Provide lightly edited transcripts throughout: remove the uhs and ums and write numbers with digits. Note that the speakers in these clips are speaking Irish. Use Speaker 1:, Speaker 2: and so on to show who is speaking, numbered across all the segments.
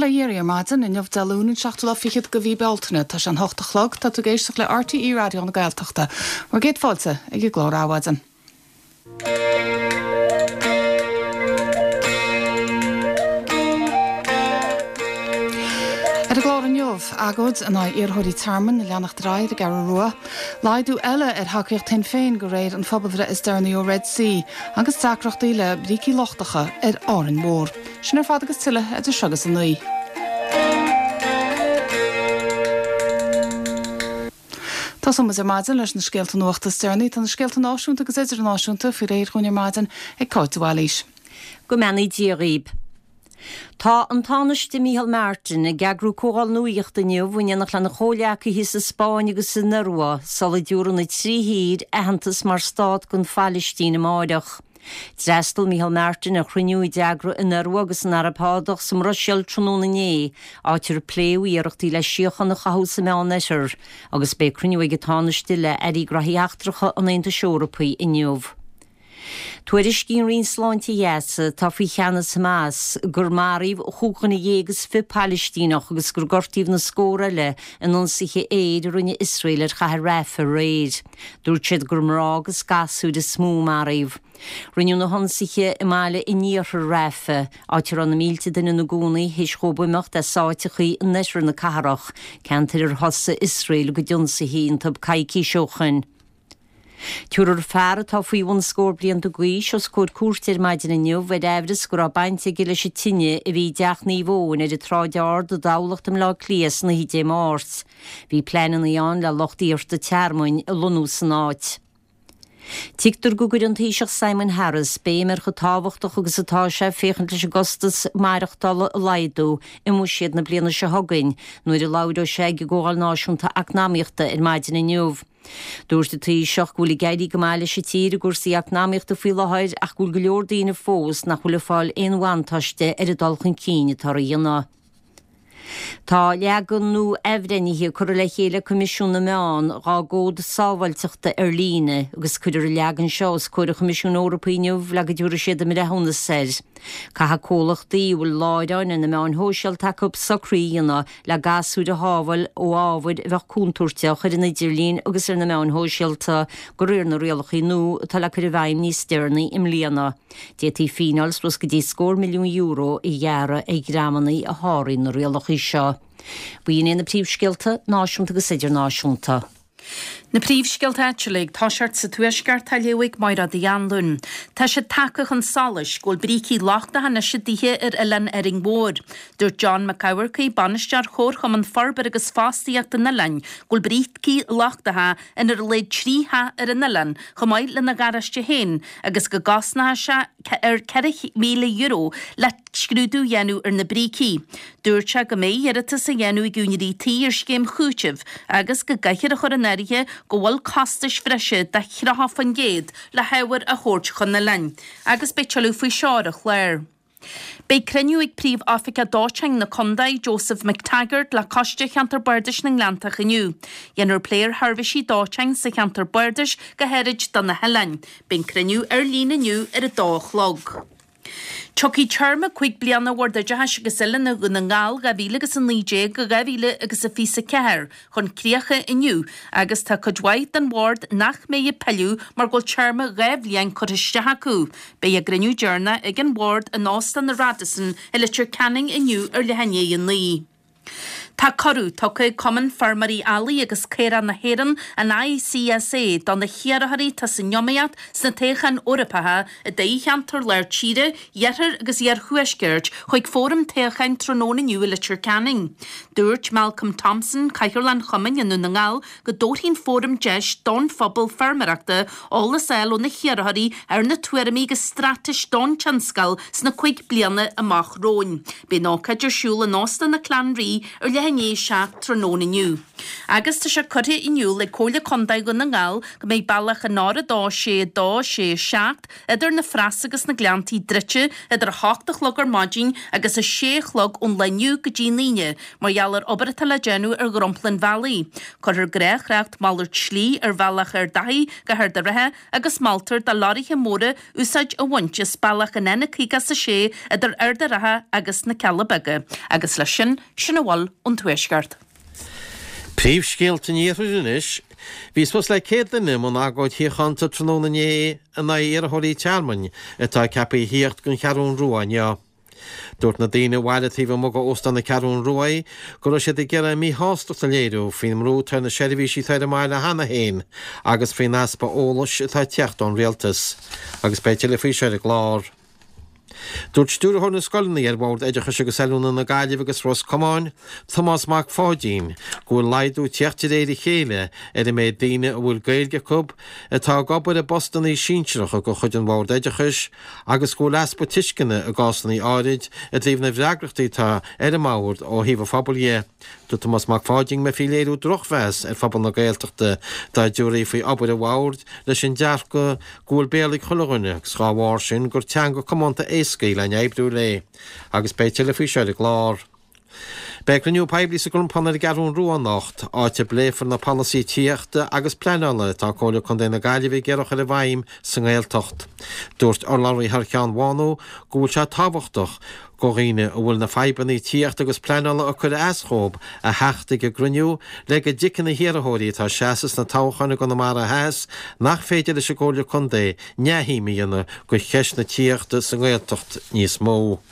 Speaker 1: Bail ó Dhia oraibh ar maidin, inniu Dé Luain an seachtú lá fichead de mhí Bealtaine. Tá sé an hocht a chlog, tá tú ag éisteacht le RTÉ Raidió na Gaeltachta. Bhur gcéad fáilte ag an gclár Adhmhaidin. Ar an gclár inniu, agóid in aghaidh iarrthóirí tearmainn ag leanacht ar aghaidh ar an gCeathrú Rua, laghdú eile ar thacaíocht Shinn Féin de réir an phobalbhreith is deireanaí ó Red C agus deacrachtaí le brící lochtacha ar Árainn Mhór. Sin ar fad agus tuilleadh idir seo agus a 9. Tosóidh muid ar maidin leis na scéalta nuachta is deireanaí. Tá na scéalta náisiúnta agus idirnáisiúnta faoi réir dhúinn ar maidin ag Cáit de Bhailís.
Speaker 2: Go mbeannaí Dia dhaoib. Tá an Tánaiste Micheál Martin ag eagrú comhdháil nuachta inniu in éineacht lena chomhghleacaithe sa Spáinn agus san Iorua sula dtabharfaidh na trí thír aitheantas mar stát don Phailistín amáireach. D'fhreastail Micheál Martin ar chruinniú a d'eagraigh an Iorua agus an Araib Shádach sa mBruiséil tráthnóna inné, áit ar pléadh iarrachtaí le síocháin a chothú sa Meánoirthear, agus beidh cruinniú ag an Tánaiste le Airí Graithí Eachtracha an Aontais Eorpaigh inniu. Tuairiscíonn Roinn Sláinte Ghaza, atá faoi cheannas Hamas, gur maraíodh chúig dhuine dhéag is 20 Pailistíneach agus gur gortaíodh na scór eile in ionsaithe aeir a rinne Iosrael ar chathair Rafah aréir. Dúirt siad gur mná agus gasúir is mó a maraíodh. Rinneadh na hionsaithe i mbaile in iarthar Rafah, áit a raibh na mílte duine ina gcónaí théis dhóibh imeacht as áiteachaí in oirthear na cathrach, ceantair ar thosaigh Iosrael a gcuid ionsaithe iontu coicís ó shoin. Tabharfar fear atá faoi bhun scór blianta d'aois os comhair cúirte ar maidin inniu ar aimhreas go raibh baint aige leis an tine a bhí i dTeach Naomh Eoin ar an tSráid Ard i dTamhlacht i mBleá Cliath san oíche Dé Máirt. Bhí pleananna ann le lucht iarrta tearmainn a lonnú san áit. Tuigtear go gcuirfidh an Taoiseach Simon Harris béim ar chomh tábhachtach agus atá sé féachaint leis an gcostas maireachtála a laghdú i mBuiséad na bliana seo chugainn nuair a labhróidh sé ag an gComhdháil Náisiúnta Eacnamaíochta ar maidin inniu. Dúirt an Taoiseach go bhfuil ag éirí go maith leis an tír i gcúrsaí eacnamaíochta faoi láthair ach go bhfuil go leor daoine fós nach bhfuil ag fáil aon bhuntáiste ar an dul chun cinn atáthar a dhéanamh. Tá leagan nua athbhreithnithe curtha le chéile ag Coimisiún na Meán dhá gcód sábháilteachta ar líne agus cuirfear an leagan seo os comhair an Choimisiúin Eorpaigh inniu le go dtabharfaidh siad a mbreithiúnas air. Caithfidh comhlachtaí a bhfuil láithreáin ar na meáin shóisialta acu socruithe a dhéanamh le gasúir a shábháil ó ábhair a bheadh contúirteach ar an idirlíon agus ar na meáin shóisialta de réir na rialacha nua atá le cur i bhfeidhm níos deireanaí i mbliana. D'fhéadfaí fíneáil suas go dtí scór milliún euro a ghearradh ar dhreamanna a sháraíonn na rialacha seo. B'in iad na príomhscéalta, náisiúnta agus idirnáisiúnta.
Speaker 3: Na príomhscéalta áitiúla ag toiseacht sa Tuaisceart á léamh ag Mairéad Uí Anluain. Tá sé tagtha chun solais go bhfuil brící lochtacha anois i dtithe ar oileán Árainn Mhór. Dúirt John Mac Eamharcaigh, Bainisteoir Chomharchumann Forbartha agus Fostaíochta an oileáin, go bhfuil brící lochtacha in ar a laghad 3 theach ar an oileán, chomh maith lena gharáiste féin, agus go gcosnóidh sé eur €4,000 le scrúdú a dhéanamh ar na brící. Dúirt sé go mbeidh iarratas á dhéanamh ag úinéirí tí ar scéim chúitimh agus go gcaithfear a chur in áirithe go bhfuil costais bhreise de 30% le hábhar a thabhairt chun an oileáin. Agus beidh tuilleadh faoi seo ar an chlár. Beidh cruinniú ag Príomh-Oifigeach Dóiteáin na Condae, Joseph McTaggart, le Coiste Cheantar Bardais na nGleanntach inniu. Dhéanfar plé ar sheirbhísí dóiteáin sa cheantar bardais, go háirid do na hoileáin. Beidh an cruinniú ar líne inniu ar a dó a chlog. Tiocfaidh téarma 5 bliana Bhord Oideachais agus Oiliúna Dhún na nGall 2019-2024 chun críocha inniu agus tá cuid mhaith den bhord nach mbeidh ag pilleadh mar go bhfuil téarma 2 bhliain curtha isteach acu. Beidh a gcruinniú deireanach ag an bhord in Óstán na Radisson i Leitir Ceanainn inniu ar leath i ndiaidh 9. Tá cuireadh tugtha ag Cumann Feirmeoirí Eallaigh agus Caorach na hÉireann, an ICSA, do na hiarrthóirí atá san iomaíocht sna toghcháin Eorpacha i dtoghcheantar Lár Tíre, Iarthair agus Iarthuaiscirt chuig fóram toghcháin tráthnóna inniu i Leitir Ceanainn. Dúirt Malcolm Thompson, Cathaoirleach an Chumainn i nDún na nGall, go dtabharfaidh an fóram deis don phobal feirmeoireachta eolas a fháil ó na hiarrthóirí ar na tuairimí agus straitéis don tionscal sna cuig bliana amach romhainn. Beidh an ócáid ar siúl in Óstán na Clann Rí ar leath. leath i ndiaidh 7 tráthnóna inniu. Agus tá sé curtha in iúl ag Comhairle Contae Dhún na nGall go mbeidh bealach an R2 6 2 6 7 idir na Freasa agus na Gleanntaí druidte idir 8 a chlog ar maidin agus 6 a chlog ón lá inniu go dtí an Aoine mar gheall ar obair atá le déanamh ar dhromchla an bhealaigh. Cuirfear gnáth-thrácht malairt slí ar bhealach Ard Achaidh go hArd an Rátha agus moltar do leoraithe móra úsáid a bhaint as bealach an N56 idir Ard an Rátha agus na Cealla Beaga. Agus leis sin, sin a bhfuil ón Tuaisceart.
Speaker 4: Príomhscéalta an Iarthair anois. Bhí suas le 100 duine i mbun agóid shíochánta tráthnóna inné in aghaidh iarrthóirí tearmainn atá ceaptha a thíocht don Cheathrún Rua inniu. Dúirt na daoine a bhailigh taobh amuigh d'Óstán na Ceathrún Ruaidh go raibh siad ag iarraidh a míshástacht a léiriú faoin mbrú atá ar na seirbhísí atá ar an mbaile cheana féin agus faoin easpa eolais atá ag teacht ón rialtas. Agus beidh tuilleadh faoi seo ar an gclár. Dúirt Stiúrthóir na Scoileanna ar Bhord Oideachais agus Oiliúna na Gaillimhe agus Ros Comáin, Tomás Mac Pháidín, go bhfuil laghdú ag tíocht de réir a chéile ar an méid daoine a bhfuil Gaeilge acu atá ag obair i bpostannaí sinsearacha de chuid an Bhoird Oideachais agus go bhfuil easpa tuisceana i gcásanna áirid i dtaobh na bhfreagrachtaí atá ar an mBord ó thaobh an phobail dhe. Dúirt Tomás Mac Pháidín go mbeifí ag léiriú drochmheas ar phobal na Gaeltachta dá dtabharfaí faoi obair an Bhoird leis an dearcadh go bhfuil Béarla ag chuile dhuine agus dhá bharr sin gur teanga comónta éasca í le n-oibriú léi. Agus beidh tuilleadh faoi seo ar an gclár. Beidh cruinniú poiblí sa gCrompán ar an gCeathrún Rua anocht, áit a bpléifear na polasaithe tithíochta agus pleanála atá Comhairle Contae na Gaillimhe ag iarraidh a chur i bhfeidhm sa nGaeltacht. Dúirt urlabhraí thar cheann Bhánú go bhfuil sé tábhachtach go dhaoine a bhfuil na fadhbanna tithíochta agus pleanála ag cur as dhóibh a theacht ag an gcruinniú le go dtuigfidh na hiarrthóirí atá ag seasamh sna toghcháin i gConamara Theas nach féidir leis an gComhairle Contae neamhshuim a dhéanamh de cheist na tithíochta sa nGaeltacht níos mó.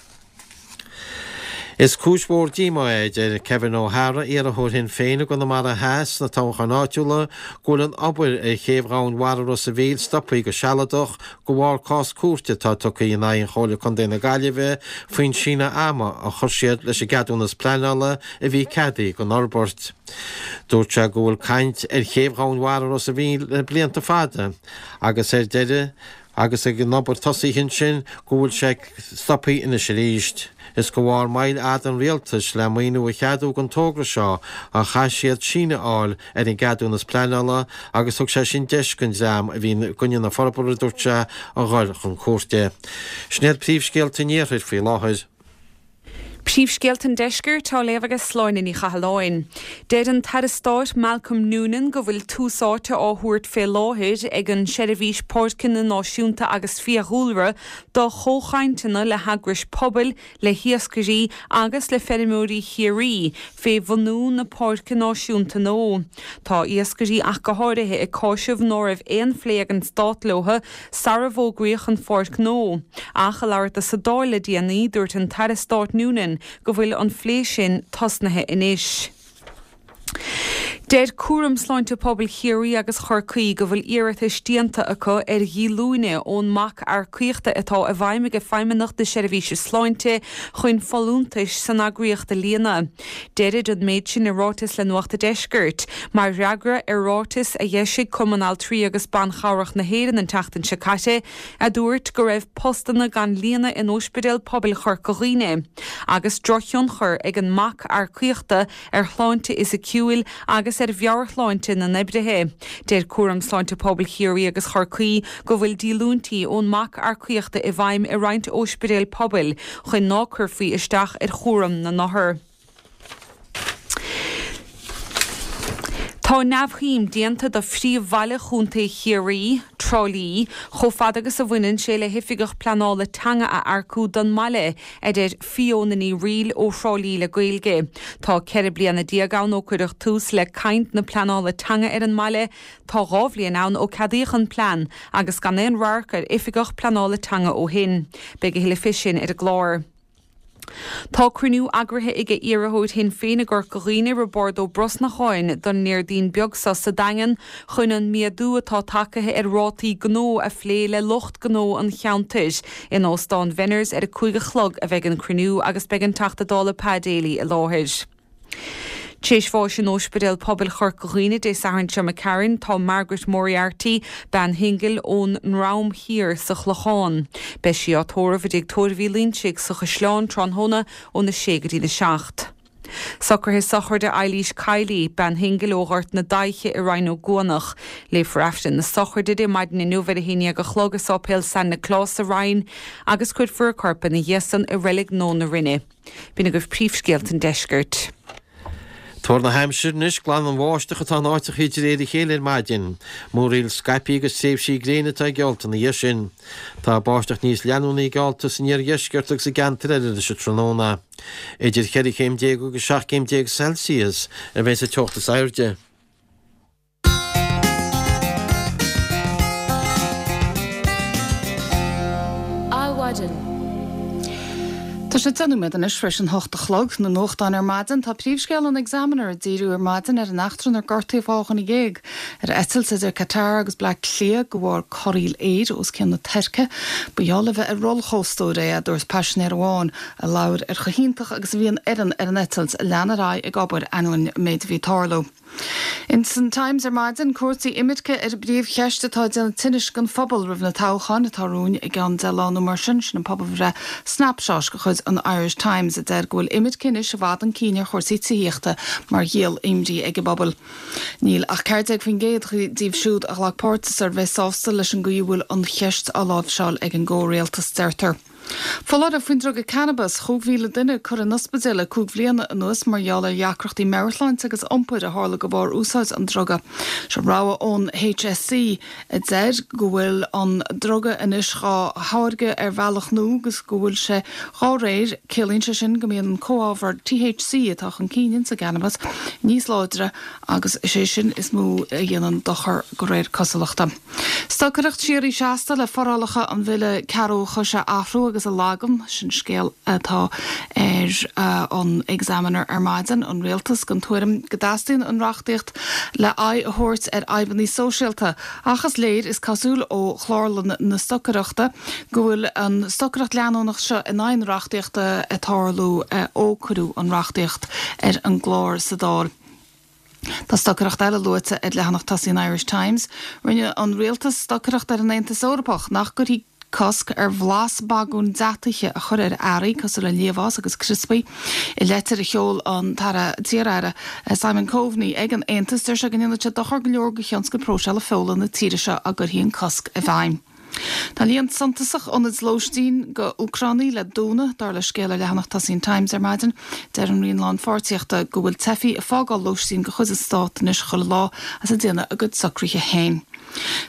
Speaker 4: Is cúis mhór díomá é, a deir Kevin O'Hara, iarrthóir Shinn Féin i gConamara Theas sna toghcháin áitiúla, go bhfuil an obair ar chéibh Dhomhain Mhara Ros a' Mhíl stoptha go sealadach de bharr cás cúirte atá tugtha in aghaidh Chomhairle Contae na Gaillimhe faoin síneadh ama a chuir siad leis an gceadúnas pleanála a bhí ceadaithe don fhorbairt. Dúirt sé go bhfuil caint ar chéibh Dhomhain Mhara Ros a' Mhíl le blianta fada agus ar deireadh Agus ag an obair tosaithe ansin go bhfuil sé stoptha anois arís. Is de bharr moill fhada an rialtais le maoiniú a cheadú don togra seo a chaith siad síneadh a fháil ar an gceadúnas pleanála agus thug sé sin deis don dream a bhí i gcoinne na forbartha, a dúirt sé, a dhul chun cúirte. Sin iad príomhscéalta an iarthair faoi láthair.
Speaker 5: Príomhscéalta an Deiscirt á léamh ag Sláine Ní Chathalláin. Deir an tAire Stáit Malcolm Noonan go bhfuil tús áite á thabhairt fé láthair ag an Seirbhís Páirceanna Náisiúnta agus Fiadhúlra do chomhchainteanna le heagrais pobail, le hiascairí agus le feirmeoirí Chiarraí fé bhunú na Páirce Náisiúnta nua. Tá iascairí ach go háirithe ag cáiseamh ná raibh aon phlé ag an Stát leo sara bhfógraíodh an pháirc nua. Ach ag labhairt dó sa Dáil le déanaí, dúirt an tAire Stáit Noonan go bhfuil an phlé sin tosnaithe anois. Deir Cúram Sláinte Pobail Chiarraí agus Chorcaí go bhfuil iarratais déanta acu ar dhíolúine ón mbac earcaíochta atá i bhfeidhm ag Feidhmeannacht na Seirbhíse Sláinte chun folúntais san eagraíocht a líonadh. Deirid an méid sin i ráiteas le Nuacht a' Deiscirt, mar fhreagra ar ráiteas a d'eisigh Cumann Altraí agus Ban Chabhrach na hÉireann an tseachtain seo caite, a dúirt go raibh postanna gan líonadh in Ospidéal Pobail Chorca Dhuibhne, agus drochthionchar ag an mbac earcaíochta ar shláinte fhisiciúil agus ar mheabhairshláinte na n-oibrithe. Deir Cúram Sláinte Pobail Chiarraí agus Chorcaí go bhfuil díolúintí ón mbac earcaíochta i bhfeidhm i roinnt óispidéal pobail chun ná cuirfí isteach ar chúram na n-othar. Tá neamhshuim déanta de phríomhbhaile Chontae Chiarraí, Trá Lí, chomh fada agus a bhaineann sé le hoifigeach pleanála teanga a earcú don mbaile, a deir Fiona Ní Fhrighil ó Thrá Lí le Gaeilge. Tá 14 bliana ann ó cuireadh tús le caint na pleanála teanga ar an mbaile, tá 2 bhliain ann ó ceadaíodh an plean agus gan aon radharc ar oifigeach pleanála teanga ó shin. Beidh a thuilleadh fé sin ar an gclár. Tá cruinniú eagraithe aige iarrthóir Shinn Féin i gCorca Dhuibhne, Roibeárd Ó Brosnacháin, don nDéardaoin beag seo sa Daingean chun an méadú atá tagaithe ar rátaí gnó a phlé le lucht gnó an cheantair. In Óstán Bhenners ar a 5 a chlog a bheidh an cruinniú agus beidh an Teachta Dála Pa Daly i láthair. T'éis bháis in Óispidéal Pobail Chorca Dhuibhne Dé Sathairn seo imigh tharainn, tá Margaret Moriarty, bean shingil ón nDrom Thiar sa Chlochán. Beidh sí á tórramh i dTigh Tórraimh Uí Loinsigh sa Chaisleán tráthnóna óna sé go dtína seacht. Socruithe sochraide Eilís Kiely, bean shingil ó Ghort na Daiche i Rinn Ó gCuanach. Léifear Aifreann na sochraide di maidin inniu ar a haon dhéag a chlog i Sáipéal San Nioclás sa Rinn agus cuirfear a corp ina dhiaidh san i Reilig Nua na Rinne. B'in agaibh príomhscéalta an deiscirt.
Speaker 4: Tuar na haimsire anois, glanbháisteach atá in áiteachaí de réir a chéile ar maidin. Múraíl scaipthe agus tréimhsí gréine atá geallta ina dhiaidh sin. Tá báisteach níos leanúnaí geallta san iardheisceart agus i gceantair eile anois an tráthnóna. Idir cheithre chéim déag agus 17 céim Celsius a bheidh sa teocht is airde.
Speaker 1: Adhmhaidin. Tá sé 10 nóiméad anois tar éis an hocht a chlog. Na nuachtáin ar maidin, tá príomhscéal an Examiner ag díriú ar maidin ar an eachtra inar gortaíodh 12 dhuine ar eitilt idir Qatar agus Bleá Cliath de bharr corraíl aeir os cionn na Tuirce. Ba gheall le bheith ar rollchóstóir é, a dúirt paisinéir amháin a labhair ar chomh hiontach agus a bhí an fhoireann ar an eitilt a lean ar aghaidh ag obair ainneoin an méid a bhí ag tarlú. Ins an Times ar maidin, cúrsaí imirce ar an bpríomhcheist atá ag déanamh tinnis don phobal roimh na toghcháin atá romhainn i gceann 10 lá nó mar sin. Sin an pobalbhreith Snapshot de chuid an Irish Times a deir go bhfuil imirce anois i bhfad chun cinn ar chúrsaí tithíochta mar dhíol imní ag an bpobal. Níl ach 14% díobh siúd a ghlac páirt sa suirbhé sásta leis an gcaoi a bhfuil an cheist á láimhseáil ag an gcomhrialtas, deirtear. Foláireamh faoin druga cannabas, 5,000 duine curtha in ospidéal le 5 bhliana anuas mar gheall ar dheacrachtaí meabhairshláinte agus iompair a tharla de bharr úsáid an druga. Seo rabhadh ón HSE a deir go bhfuil an druga anois dhá tháirgeadh ar bhealach nua agus go bhfuil sé dhá réir, ciallaíonn sé sin go mbíonn an comhábhar THC atá chun cinn ins an gcannabas níos láidre agus is é sin is mó a dhéanann dochar de réir cosúlachta. Stocaireacht síoraí seasta le forálacha an Bhille Cearrbhachais a athrú agus a lagan, sin scéal atá ar an Examiner ar maidin, an Rialtas den tuairim go dteastaíonn an reachtaíocht le aghaidh a thabhairt ar fhadhbanna sóisialta ach is léir, is cosúil ó chlárlann na stocaireachta, go bhfuil an stocaireacht leanúnach seo in aghaidh na reachtaíochta ag tarlú ó cuireadh an reachtaíocht ar an gclár sa Dáil. Tá stocaireacht eile luaite ar leathanach tosaigh an Irish Times. Rinne an rialtas stocaireacht ar an Aontas Eorpach nach gcuirfí cosc ar bhlas bagún deataithe a chur ar earraí cosúil le liamhás agus criospaí. I leitir a sheol an tAire t-iar-aire Simon Coveney ag an Aontas, deir sé go ndéanfadh sé dochar go leor do thionscal próiseála feola na tíre seo dá gcuirfí an cosc i bhfeidhm. Tá líon suntasach ionaid lóistín do Úcránaigh le dúnadh, dar le scéal ar leathanach tosaigh an Times ar maidin. Deir an Roinn Lánpháirtíochta go bhfuil teifigh ag fágáil lóistín de chuid an Stáit anois chuile lá is ag déanamh a gcuid socruithe féin.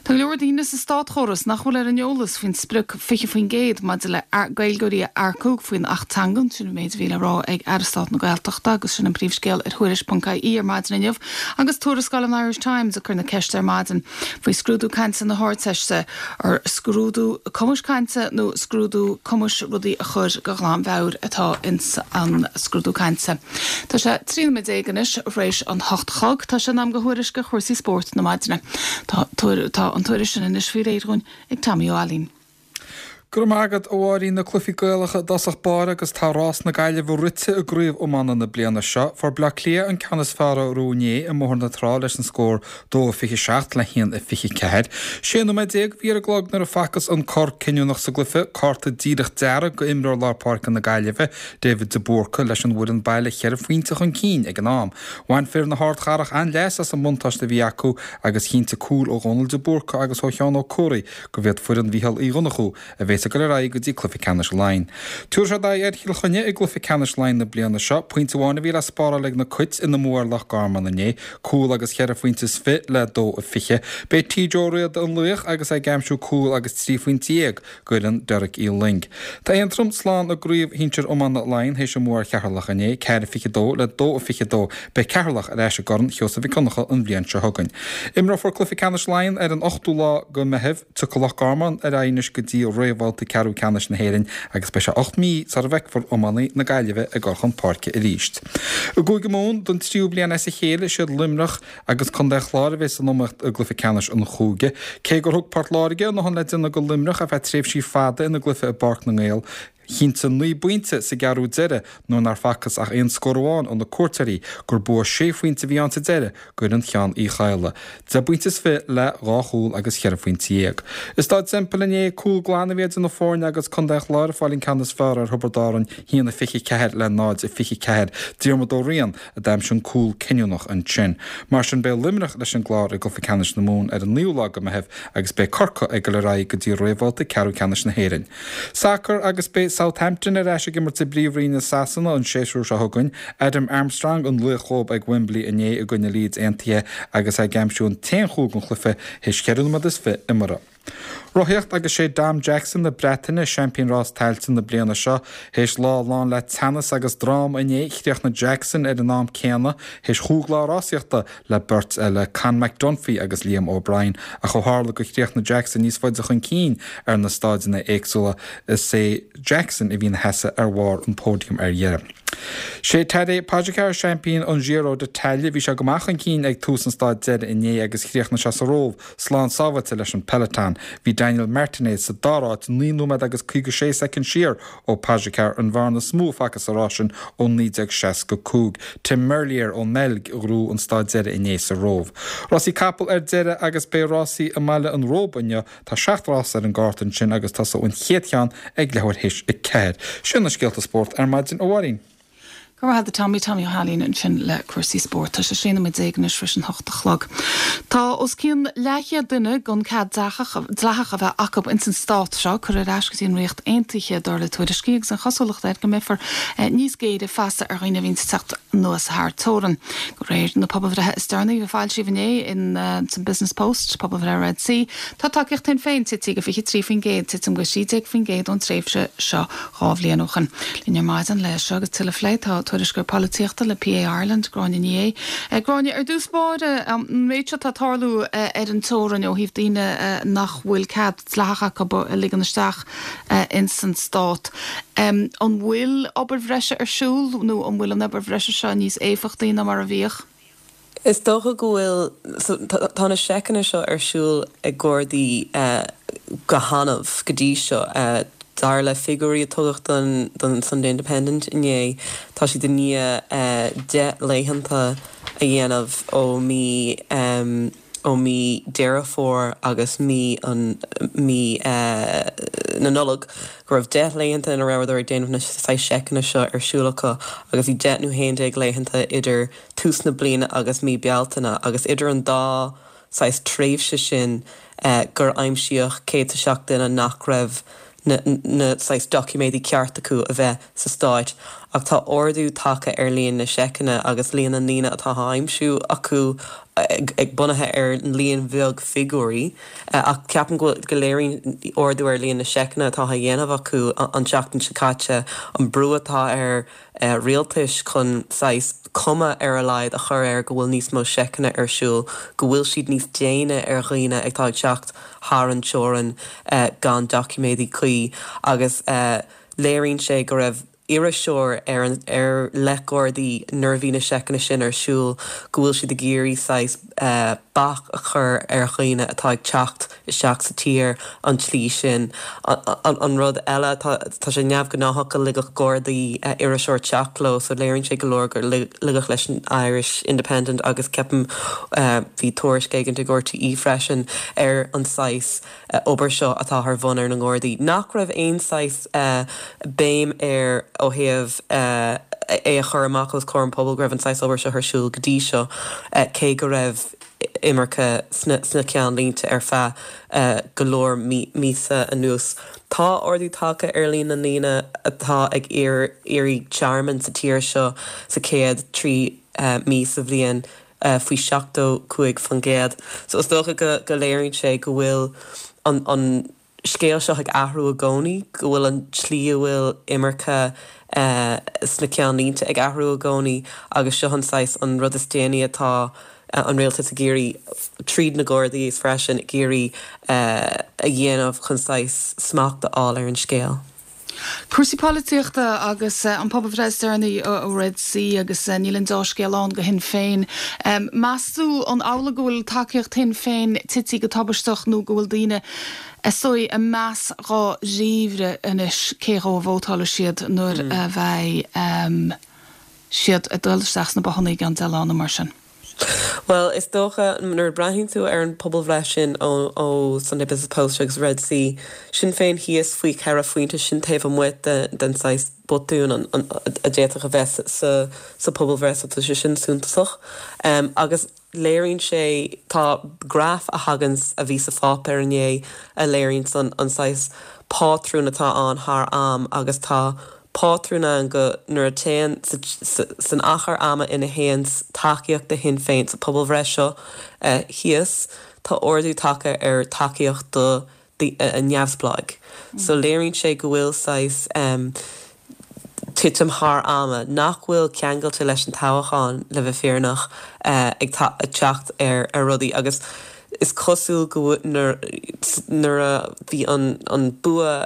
Speaker 1: Tá go leor daoine sa státchóras nach bhfuil ar an eolas faoin sprioc 20% maidir le Gaeilgeoirí a earcú faoin Acht Teangan, sin an méid a bhí le rá ag Aire Stáit na Gaeltachta agus sin an príomhscéal ar Thuairisc.ie ar maidin inniu agus tuarascáil an Irish Times ag cur na ceiste ar maidin. faoi scrúdú cainte na hArdteiste, ar scrúdú cumais cainte nó scrúdú cumais rudaí a chur de ghlanmheabhair atá ins an scrúdú cainte. Tá sé 13 nóiméad anois th'réis an hocht a chlog. Tá sé in am do thuairisc ar chúrsaí spóirt na maidine. Tá tá an tuairisc sin anois faoi réir dhúinn ag Tommy Ó Ailín.
Speaker 6: Go raibh maith agat, a Mháirín. Na cluichí Gaelacha i dtosach báire agus tá rás na Gaillimhe rite i gcraobh iomána na bliana seo. Fuair Bleá Cliath an ceann is fearr orthu inné i mBóthar na Trá leis an scór 2-27 le 1-24. 16 nóiméad a bhí ar an gclog nuair a facthas an cor cinniúnach sa gcluiche, cárta díreach dearg go imreoir lár páirce na Gaillimhe, David de Búrca, leis an bhfoireann baile cheithre phointe chun cinn ag an am. Bhain fir na hArdchathrach an-leas as an mbuntáiste a bhí acu agus chinntigh cúil ó Dhónal de Búrca agus ó Sheán Ó Comhraí go mb'iad foireann Mhícheál Uí Dhonnchú a bhéas ag dul ar aghaidh go dtí cluiche ceannais Laighean. Tabharfaidh siad aghaidh ar Chill Chainnigh i gcluiche ceannais Laighean na bliana seo. Pointe amháin a bhí le spáráil ag na Cait ina mbua ar Loch Garman inné, cúl agus cheithre phointe is fi le 2-20. B'é TJ Ó Riada an laoch agus é ag aimsiú cúl agus 13 phointe go fhoireann Derek Uí Fhloinn. Tá Aontroim slán i gcraobh shinsir iomána Laighean théis a mbua ar Cheatharlach inné, 4-22 le 2-22. Beidh Ceatharlach ar ais i gCorn Sheosaimh Mhic Dhonncha an bhliain seo chugainn. Imreofar cluiche ceannais Laighean ar an ochtú lá go Meitheamh. Tiocfaidh Loch Garman ar aghaidh anois go dtí réamhbhabhta ceathrú ceannais na hÉireann agus beidh sé 8 mí sara bhfeicfear iománaí na Gaillimhe ag dul chun páirce arís. I gCúige Mumhan, don tríú bliain as a chéile, is iad Luimneach agus Contae an Chláir a bheas san iomaíocht i gcluiche ceannais an chúige. Cé gur thug Port Láirge a ndóthain le déanamh go Luimneach ar feadh tréimhsí fada ina gcluiche i bPáirc na nGael. Chinntigh 9 bpointe sa gceathrú deiridh nuair nár facthas ach aon scór amháin ó na cuairteoirí gur bua sé phointe a bhí ann sa deireadh d'fhoireann Cheann Uí Chadhla, deich bpointe is fi le dhá chúl agus cheithre phointe dhéag. I Stáid Semple inné, cúl glan a bhí idir na foirne agus Contae an Chláir ag fáil an ceann is fearr ar Thiobraid Árann, 1-24 le 0-24. Diarmuid Ó Riain a d'aimsigh an cúl cinniúnach ansin. Mar sin beidh Luimneach leis an gClár i gcluiche ceannais na Mumhan ar an naoú lá de Mheitheamh agus beidh Corcaigh ag dul ar aghaidh go dtí réamhbhabhta ceathrú ceannais na hÉireann. Sacar agus beidh Southampton ar ais ag imirt i bPríomhroinn i Sasana an séasúr seo chugainn. Adam Armstrong an laoch dhóibh ag Wembley inné i gcoinne Leeds Aontaithe agus é ag aimsiú an t-aon chúl den chluiche théis cheithre nóiméad is fi imeartha. Rothaíocht agus sé Dom Jackson na Breataine seaimpín rás tailte na bliana seo. Théis lá lán le teannas agus dráma inné, chríochnaigh Jackson ar an am céanna théis chúig lá rásaíochta le beirt eile, Conn McDunphy agus Liam O'Brien, ach ó tharla gur chríochnaigh Jackson níos faide chun cinn ar na staideanna éagsúla, is é Jackson a bhí ina sheasamh ar bharr an phóidiam ar dheireadh. Sé Tadej Pogacar seaimpín an Giro d'Italia. Bhí sé go maith chun cinn ag tús an staid deiridh inné agus chríochnaigh sé sa Róimh slán sábháilte leis an peloton. Bhí Daniel Martinez sa dara háit, 9 nóiméad agus 56 soicind siar ó Pogacar, an bhearna is mó a facthas sa rás sin ó 1965. Tim Merlier ón mBeilg a ghnóthaigh an staid deiridh inné sa Róimh. Rásaí capall ar deireadh agus beidh rásaí i mBaile an Róba inniu. Tá seacht rás ar an gcárta ansin agus tosóidh an chéad cheann ag leathuair théis a ceathair. Sin na scéalta spóirt ar maidin, a Mháirín.
Speaker 1: Go raibh maith agat Tommy, Tommy Ó hAilín ansin le cúrsaí spóirt. Tá sé 16 nóiméad anois tar éis an hocht a chlog. Tá os cionn leathchéad duine gan cead dleathach a bheith acu ins an stát seo curtha ar ais go dtí an Ríocht Aontaithe, dar le tuairiscí, agus an chosúlacht air go mbeifear níos géire feasta ar dhaoine a bhíonns ag teacht anuas thar teorainn. De réir na pobalbhreithe is deireanaí a foilsíodh inné in san Business Post, pobalbhreith Red C, tá tacaíocht Shinn Féin tite go 23%, titim de 13% ón tréimhse seo 2 bhliain ó shin. Linn ar maidin le seo agus tuilleadh a phlé tá tuairisceoir polaitíochta le PA Ireland, Gráinne Ní Aodha. Gráinne, ar dtús báire, an méid seo atá ag tarlú ar an teorainn ó thaobh daoine nach bhfuil cead dleathach acu a ligean isteach ins an stát, an bhfuil obair bhreise ar siúl nó an bhfuil an obair bhreise seo níos éifeachtaí ná mar a bhíodh?
Speaker 7: Is dócha go bhfuil, so tá na seiceanna seo ar siúl ag Gardaí go hannamh go dtí seo. Dar le figiúirí a tugadh don don Sunday Independent inné, tá siad i ndiaidh 10 laethanta a dhéanamh ó mí ó mí Deireadh Fómhair agus mí an mí na Nollag go raibh 10 laethanta ina rabhadar ag déanamh na saghas seiceanna seo ar siúl acu agus bhí 10 nó 11 laethanta idir tús na bliana agus mí Bealtaine agus idir an dá saghas tréimhse sin gur aimsíodh 107 duine nach raibh na na saghas doiciméadaí ceart acu a bheith sa stáit ach tá ardú tagtha ar líon na seiceanna agus líon na ndaoine atá á aimsiú acu ag bunaithe ar líon bheag figiúirí ach ceapaim go go léiríonn ardú ar líon na seiceanna atá á dhéanamh acu an tseachtain seo caite an brú atá ar rialtais chun saghas cuma ar a laghad a chur air go bhfuil níos mó seiceanna ar siúl, go bhfuil siad níos déine ar dhaoine atá ag teacht thar an teorainn gan doiciméadaí cuí agus léiríonn sé go raibh iriseoir ar an ar le Gardaí nuair a bhí na seiceanna sin ar siúl, go bhfuil siad ag iarraidh saghas bac a chur ar dhaoine atá ag teacht isteach sa tír an tslí sin. An rud eile, tá sé neamhghnáthach go ligfeadh Gardaí iriseoir teacht leo so léiríonn sé go leor gur ligeadh leis an Irish Independent agus ceapaim bhí tuairisc éigin ag RTÉ freisin ar an saghas obair seo atá ar bhun ar na nGardaí nach raibh aon saghas béim air ó thaobh é a chur amach os comhair an pobail go raibh an saghas obair seo ar siúl go dtí seo cé go raibh imirce sna ceannlínte ar feadh go leor míosa anuas. Tá ardú tagtha ar líon na ndaoine atá ag iarraidh tearmainn sa tír seo sa chéad 3 mí sa bhliain faoi 75%. So is dócha go léiríonn sé go bhfuil an scéal seo ag athrú i gcónaí, go bhfuil an tslí a bhfuil imirce sna ceannlínte ag athrú i gcónaí agus seo an saghas, an rud is déanaí atá an rialtas ag iarraidh, tríd na Gardaí is freisin, ag iarraidh a dhéanamh chun saghas smacht a fháil ar an scéal.
Speaker 1: Cúrsaí polaitíochta agus an pobalbhreith is deireanaí ó Red C agus níl an deá-scéal ann do Shinn Féin. Meas tú an amhlaidh go bhfuil tacaíocht Shinn Féin tití go tubaisteach nó go bhfuil daoine is dóigh ag meas dháiríre anois cé dhó a vótálfaidh siad nuair a bheidh siad ag dul isteach sna bothanna i gceann 10 lá nó mar sin?
Speaker 7: Bhuel, is dócha, nuair a breathnaíonn tú ar an pobalbhreith sin ó Sunday Business Post agus Red C, Sinn Féin thíos faoi cheithre phointe, sin taobh amuigh den saghas botún a d'fhéadfadh a bheith sa phobalbhreith, so tá sé sin suntasach. Agus léiríonn sé, tá graf a thagann, a bhí sa pháipéar inné, a léiríonn an saghas pátrún atá ann thar am agus tá pátrún ann go nuair a téann san achar ama ina théann tacaíocht do Shinn Féin sa pobalbhreith seo thíos, tá ardú tagtha ar tacaíocht do neamhspleáigh. So léiríonn sé go bhfuil saghas titim thar ama, nach bhfuil ceangailte leis an toghchán, le bheith fírinneach, ag teacht ar rudaí agus is cosúil go nuair a bhí an bua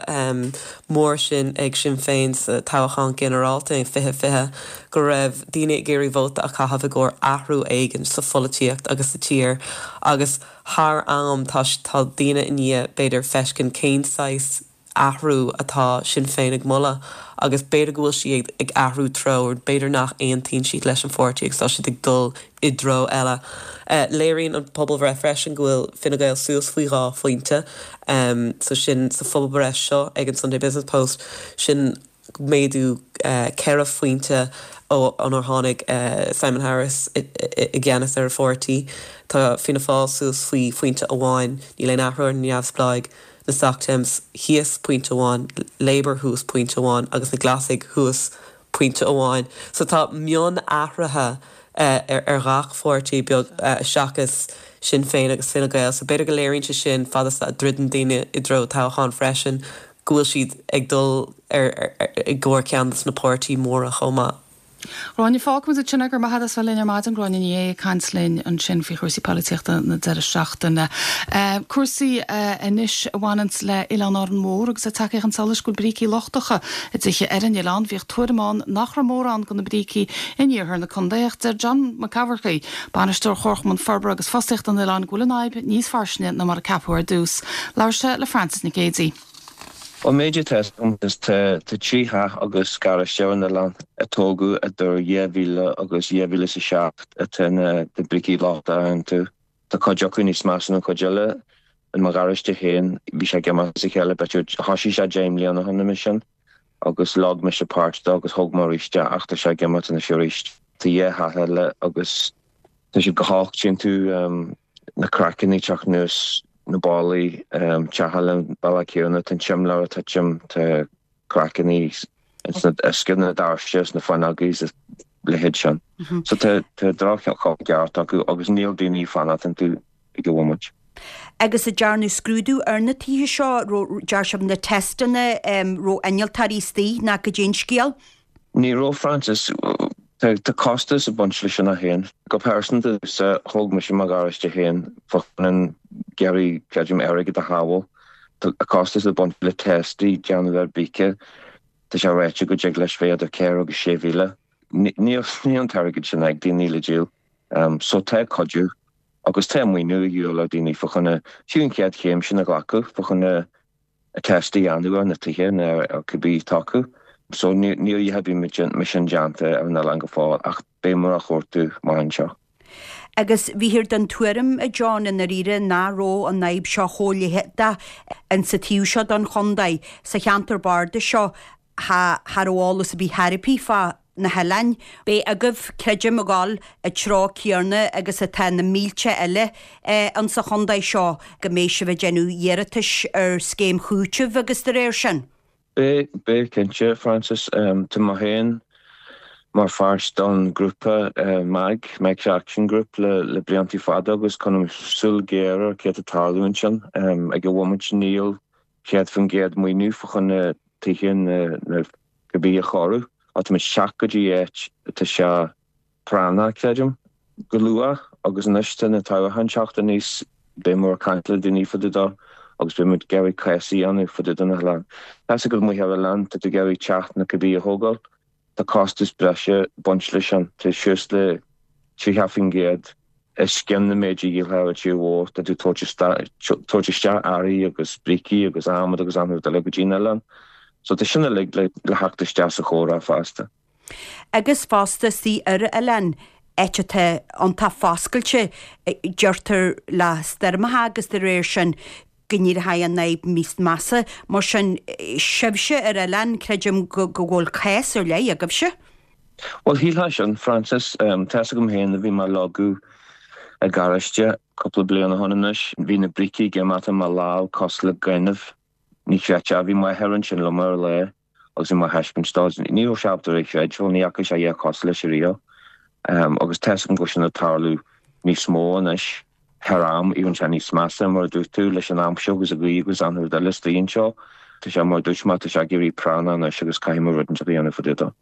Speaker 7: mór sin ag Sinn Féin sa toghchán ginearálta in 2020 go raibh daoine ag iarraidh vóta a chaitheamh i gcomhair athrú éigin sa pholaitíocht agus sa tír agus thar am tá tá daoine i ndiaidh b'fhéidir feiscint cén saghas athrú atá Sinn Féin ag moladh agus b'fhéidir go bhfuil siad ag athrú treo, b'fhéidir nach aontaíonn siad leis an pháirtí agus tá siad ag dul i dtreo eile. Léiríonn an pobalbhreith freisin go bhfuil Fine Gael suas faoi dhá phointe, so sin sa phobalbhreith seo ag an Sunday Business Post, sin méadú ceithre phointe ó nuair a tháinig Simon Harris i gceannas ar an pháirtí. Tá Fianna Fáil suas faoi phointe amháin, níl aon athrú ar na neamhspleáigh, na Soc Dems thíos pointe amháin, Labour thuas pointe amháin agus na Glasaigh thuas pointe amháin. So tá mionathruithe ar ghach pháirtí beag seachas Sinn Féin agus Fine Gael. So b'fhéidir go léiríonn sé sin fad is a dhruideann daoine i dtreo toghcháin freisin go bhfuil siad ag dul i gcomhair ceann de na páirtí móra chomh maith.
Speaker 1: Gráinne, Fágfaimid ansin é, go raibh maith agat as bheith linn ar maidin, Gráinne Ní Aodha ag caint linn ansin faoi chúrsaí polaitíochta na deireadh seachtaine. Cúrsaí anois a bhaineanns le Oileán Árann Mhór agus é tagtha chun solais go bhfuil brící lochtacha i dtithe ar an oileán. Bhíodh tuairim ann nach raibh mórán de na brící in iarthar na contae ach deir John Mac Eamharcaigh, Bainisteoir Chomharchumann Forbartha agus Fostaíochta an oileáin go bhfuil an fhadhb níos fairsinge ná mar a ceapadh ar dtús. Labhair sé le Frances Nic Géadaigh.
Speaker 8: Ón méid atá agam is tá 3 theach agus garáiste ar an oileán a tógadh idir 2000 agus 2007 atá na brící lochtacha iontu. Tá cuid acu níos measa ná cuid eile. In mo gharáiste féin bhí sé ag imeacht as a chéile b'fhéidir thoisigh sé 10 mbliana ó shin nó mar sin agus leag mise páirt de agus thóg mé arís é ach tá sé ag imeacht anois arís. Tá dhá theach eile agus tá siad go holc tchíonn tú na craiceanna ag teacht anuas na ballaí, teach eile an bealach céanna, tá an simléar ag titim, tá craiceanna ins na uisce na doirse is na fuinneogaí is a leithéid sin. So tá tá droch-chuma ceart acu agus níl daoine ag fanacht iontu ag an bhomaite.
Speaker 2: Agus an dearnadh scrúdú ar na tithe seo, raibh, dear sibh na teisteanna, raibh innealtóirí istigh nó goidé an scéal?
Speaker 8: Ní raibh, Frances. Tá costas ag baint leis sin féin. Go pearsanta, thóg mise mo gharáiste féin fá choinne ag iarraidh, creidim, airgead a shábháil. Tá costas ag baint le test a dhéanamh ar bríce. Tá sé ráite go dtig leis bheith idir 4 agus 6,000. Níl an t-airgead sin ag daoine le díol. So tá cuidiú agus tá maoiniú a dhíobháil ar daoine fá choinne fiú an chéad chéim sin a ghlacadh fá choinne test a dhéanamh ar na tithe nó ar cibé atá acu. So níl a dhath ar bith mar sin déanta ar an oileán go fóill ach beidh muid á chuartú amach anseo.
Speaker 2: Agus bhíthear den tuairim, a John, i ndáiríre nach raibh an fhadhb seo chomh leitheadach insa taobh seo den chontae, sa cheantar bardais seo, cha raibh eolas ar bith ar bith fá na hoileáin. Beidh agaibh, creidim, ag dul an treo céanna agus atá na mílte eile insa chontae seo, go mbeidh sibh ag déanamh iarratais ar scéim chúitimh agus de réir sin.
Speaker 8: Beidh, beidh cinnte, Frances. Tá mé féin mar pháirt don ghrúpa MAG, Meics Action Group, le bliantaí fada agus coinním súil ghéar ar céard atá ag tarlú ansin. Ag an bhomaite níl 100% maoiniú fá choinne tithe na cibé a chóiriú. Ach tá muid ag teacht go dtí áit atá sé práinneach, creidim. Go luath, agus anois tá na toghcháin ag teacht aníos, beidh muid ag caint le daoine fá dtaobh dó. Agus beidh muid ag iarraidh cás a dhéanamh fá dtaobh de na hoileáin. Tá 'fhios agat amuigh ar oileán, tá tú ag iarraidh teach nó cibé a thógáil, tá costas breise ag baint leis sin, tá suas le 30% os cionn na méid a dhíolfá ar an tír mhór, tá tú ag tabhairt isteach earraí agus brící agus adhmad agus achan rud eile go dtí an oileán. So tá sin uilig le theacht isteach sa chomhrá fosta.
Speaker 2: Agus fosta istigh ar oileán, áit atá iontach foscailte, deirtear le stoirmeacha agus de réir sin go n-éireoidh an fhadhb níos measa. Mar sin, sibhse ar oileán, creidim go bhfuil cás ar leith agaibhse.
Speaker 8: Bhuel, shílfeá sin, Frances. Tá 'fhios agam féin, bhí mé ag leagadh i garáiste cúpla bliain ó shin anois. Bhí na brící ag imeacht i mo lámh cosúil le gaineamh. Ní chreidfeá. Bhí m'athair ansin liom ar an lá agus bhí mé á thaispeáint dó. Ní raibh sé ábalta é a chreidiúint, ní fhaca sé a dhath cosúil leis ariamh. Agus tá 'fhios agam go bhfuil sin ag tarlú níos mó anois thar am, éiríonn sé níos measa, mar a dúirt tú, leis an aimsir agus an ghaoth agus achan rud eile istigh anseo. Tá sé, mar a dúirt mé, tá sé ag éirí práinneach anois agus caithfidh muid rud inteacht a dhéanamh fá dtaobh dó.